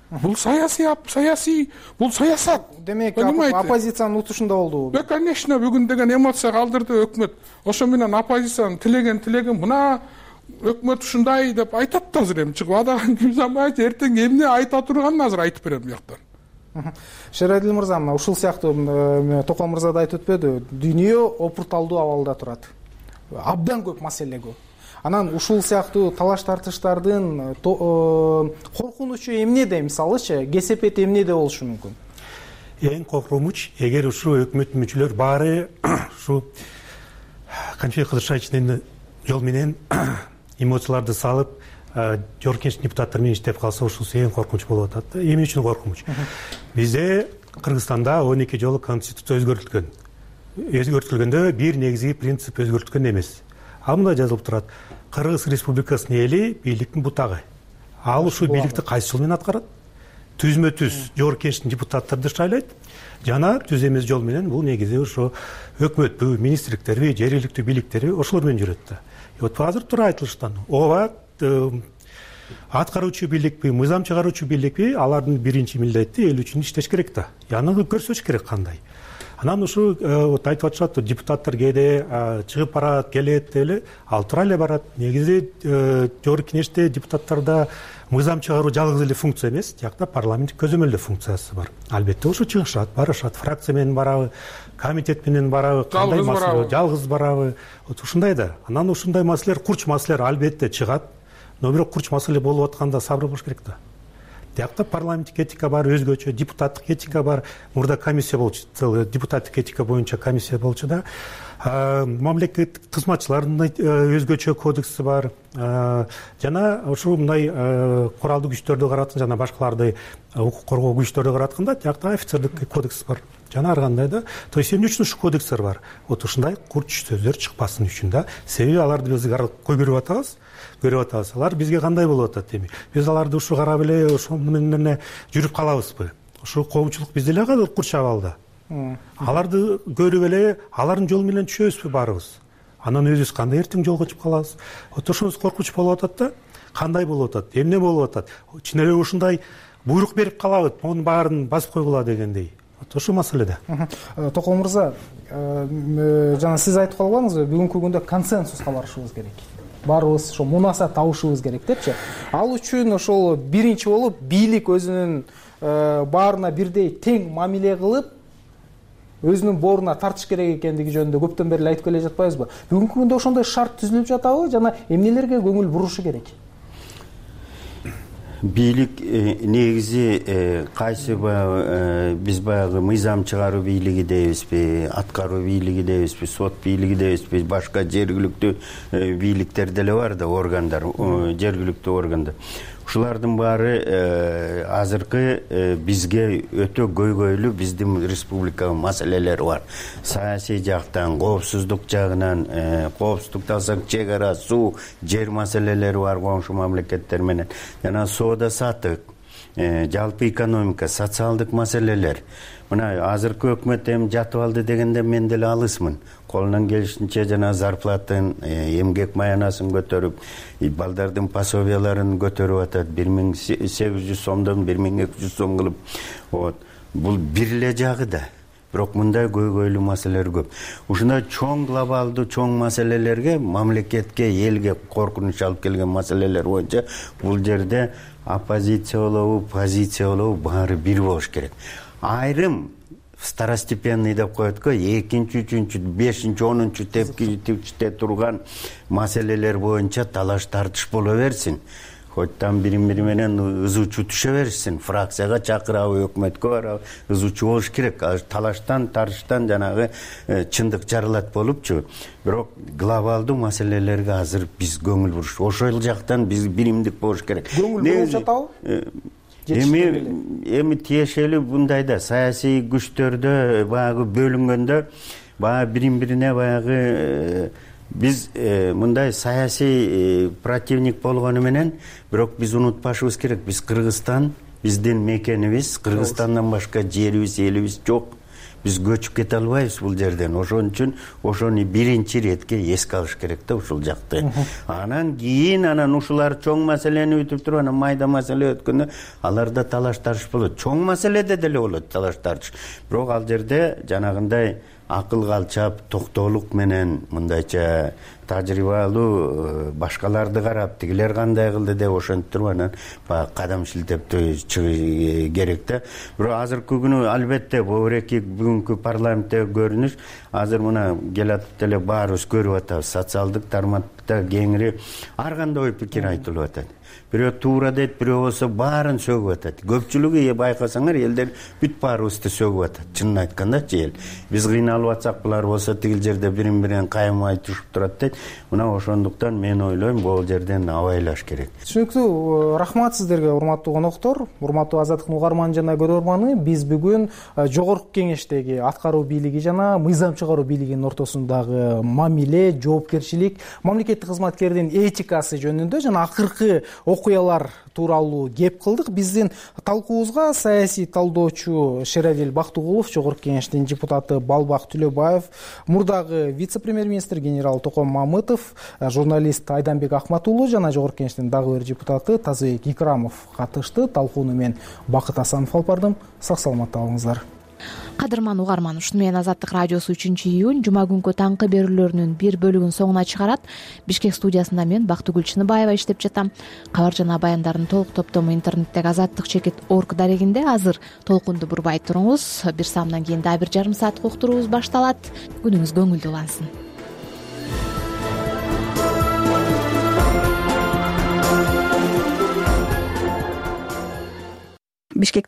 Бул саясий, саясий, бул саясат. Демек, оппозициянын утушунда болду. Да, конечно, бүгүн деген эмоция калтырды өкмөт. Ошо менен оппозициянын тилеген тилеген мына өкмөт ушундай деп айтат да азыр эми чыгып. Адакан Кимжанбаевич эртең эмне айта турганын азыр айтып берем бияктан. Шерадил мырза, ушул сыяктуу Током мырза да айтып өтпөдү, дүйнө опурталдуу абалда турат. Абдан көп маселе көп. Анан ушул сыяктуу талаш тартыштардын коркунучу эмнеде, мисалычы кесепети эмнеде болушу мүмкүн? Эң коркунуч эгер ушу өкмөттүн мүчөлөр баары ушу конфликт кылышачын жол менен эмоцияларды салып жогорку депутаттар менен иштеп калса, ушул эң коркунуч болуп атат. Эмне үчүн коркунуч? Бизде Кыргызстанда он эки жолу конституция өзгөртүлгөн. Өзгөртүлгөндө бир негизги принцип өзгөртүлгөн эмес. Ал мындай жазылып турат: Кыргыз Республикасынын эли бийликтин бутагы. Ал ушул бийликти кайсы жол менен аткарат? Түзмө түз жогорку кеңештин депутаттарды шайлайт жана түз эмес жол менен бул негизи ошо өкмөтпү, министрликтерби, жергиликтүү бийликтерби ошолор менен жүрөт да. Вот азыр туура айтылыштан ооба аткаруучу бийликпи, мыйзам чыгаруучу бийликпи, алардын биринчи милдети эл үчүн иштеш керек да. Аны көрсөтүш керек кандай. Анан ушу вот айтып атышат, депутаттар кээде чыгып барат, келет эле, ал туура эле барат. Негизи жогорку кеңеште депутаттарда мыйзам чыгаруу жалгыз эле функция эмес, жакта парламенттик көзөмөлдөө функциясы бар. Албетте ошо чыгышат, барышат, фракция менен барабы, комитет менен барабы, кандай маселе, жалгыз барабы. Вот ушундай да. Анан ушундай маселелер, курч маселелер албетте чыгат. Но бирок курч маселе болуп атканда сабыр болуш керек да. Тиякта парламенттик этика бар, өзгөчө депутаттык этика бар. Мурда комиссия болчу, депутаттык этика боюнча комиссия болчу да. Мамлекеттик кызматчылардын өзгөчө кодекси бар. Жана ушул мындай куралдуу күчтөрдү каратканда, жана башкаларды укук коргоо күчтөрдү каратканда, тиякта офицердик кодекс бар. Жана ар кандай да. То есть эмне үчүн ушул кодекстер бар? Вот ушундай курч сөздөр чыкпасын үчүн да. Себеби аларды биз көрүп атабыз. көрүп атабыз. Алар бизге кандай болуп атат эми? Биз аларды ушу карап эле ошол менен жүрүп калабызбы? Ушул коомчулук бизде эле калып курч абалда. Аларды көрүп эле алардын жол менен түшөбүзбү баарыбыз? Анан өзүбүз кандай эртең жолго чыгып калабыз? Вот ошонус коркунуч болуп атат да. Кандай болуп атат? Эмне болуп атат? Чын эле ушундай буйрук берип калабыз, мунун баарын басып койгула дегендей. Вот ошол маселеде. Током мырза, жана сиз айтып калбаңызбы, бүгүнкү күндө консенсуска барышыбыз керек. Баарыбыз ошо мунаса табышыбыз керек депчи. Ал үчүн ошол биринчи болуп бийлик өзүнүн баарына бирдей тең мамиле кылып, өзүнүн боруна тартыш керек экендиги жөнүндө көптөн бери айтып келе жатпайбызбы? Бүгүнкү күндө ошондой шарт түзүлүп жатабы жана эмнелерге көңүл бурушу керек? Бийлик негизи кайсы биз баягы мыйзам чыгаруу бийлиги дейбизби, аткаруу бийлиги дейбизби, сот бийлиги дейбизби, башка жергиликтүү бийликтер деле бар да, органдар, жергиликтүү органдар. Ушулардын баары азыркы бизге өтө көйгөйлүү биздин республикага маселелер бар. Саясий жактан, коопсуздук жагынан, коопсуздукту алсак, чек ара, суу, жер маселелери бар коңшу мамлекеттер менен. Жана соода саттык, жалпы экономика, социалдык маселелер. Мына азыркы өкмөт эми жатып алды дегенде мен деле алысмын. Колунан келишинче жана зарплатын, эмгек маянасын көтөрүп, балдардын пособияларын көтөрүп атат. бир миң сегиз жүз сомдон бир миң эки жүз сом кылып. Вот. Бул бир эле жагы да. Бирок мындай көйгөйлүү маселелер көп. Ушундай чоң глобалдуу чоң маселелерге, мамлекетке, элге коркунуч алып келген маселелер боюнча бул жерде оппозиция болобу, позиция болобу баары бир болуш керек. Айрым второстепенный деп коет го, экинчи, үчүнчү, бешинчи, онунчу тепкичте турган маселелер боюнча талаш тартыш боло берсин. Хоть там бири-бири менен ызуучу түшө берсин, фракцияга чакырабы, өкмөткө барабы, ызуучу болуш керек. Талаштан, тартыштан жанагы чындык жарылат болупчу. Бирок глобалдуу маселелерге азыр биз көңүл буруш. Ошол жактан биз биримдик болуш керек. Көңүл буруп жатабы? Эми эми тиешелүү мындай да, саясий күчтөрдө баягы бөлүнгөндө баягы бирин-бирине баягы биз мындай саясий противник болгону менен, бирок биз унутпашыбыз керек, биз Кыргызстан, биздин мекенибиз, Кыргызстандан башка жерибиз, элибиз жок. Биз көчүп кете албайбыз бул жерден. Ошон үчүн ошону биринчи иретке эске алыш керек да ушул жакты. Анан кийин анан ушулар чоң маселени өтүп туруп, анан майда маселе өткөндө аларда талаш тартыш болот. Чоң маселеде деле болот талаш тартыш. Бирок ал жерде жанагындай акыл калчап токтоолук менен мындайча тажрыйбалуу башкаларды карап тигилер кандай кылды деп ошентип туруп анан баягы кадам шилтеп чыгыш керек да. Бирок азыркы күнү албетте бул эки бүгүнкү парламенттеги көрүнүш азыр мына келатып эле баарыбыз көрүп атабыз. Социалдык тармакта кеңири ар кандай ой пикир айтылып атат. Бирөө туура дейт, бирөө болсо баарын сөгүп атат. Көпчүлүгү байкасаңар элдер бүт баарыбызды сөгүп атат. Чынын айткандачы эл. Биз кыйналып атсак булар болсо тигил жерде бирин бирин кайымай түшүп турат дейт. Мына ошондуктан мен ойлойм бул жерден абайлаш керек. Түшүнүктүү. Рахмат сиздерге, урматтуу коноктор, урматтуу Азаттыктын угарманы жана көрөрманы. Биз бүгүн жогорку кеңештеги аткаруу бийлиги жана мыйзам чыгаруу бийлигинин ортосундагы мамиле, жоопкерчилик, мамлекеттик кызматкердин этикасы жөнүндө жана акыркы окуялар тууралуу кеп кылдык. Биздин талкуубузга саясий талдоочу Шерадил Бактыгулов, жогорку кеңештин депутаты Балбак Түлөбаев, мурдагы вице-премьер-министр генерал Током Мамытов, журналист Айданбек Акматуулу жана жогорку кеңештин дагы бир депутаты Тазыбек Икрамов катышты. Талкууну мен Бакыт Асанов алып бардым. Сак саламатта болуңуздар. Кадырман угарман, ушуну менен Азаттык радиосу үчүнчү июнь жума күнкү таңкы берүүлөрүнүн бир бөлүгүн соңуна чыгарат. Бишкек студиясында мен Бактыгүл Чыныбаева иштеп жатам. Кабар жана баяндардын толук топтому интернеттеги азаттык чекит орг дарегинде. Азыр толкунду бурбай туруңуз. Бир саамдан кийин дагы бир жарым сааттык уктуруубуз башталат. Күнүңүз көңүлдүү улансын. Бишкек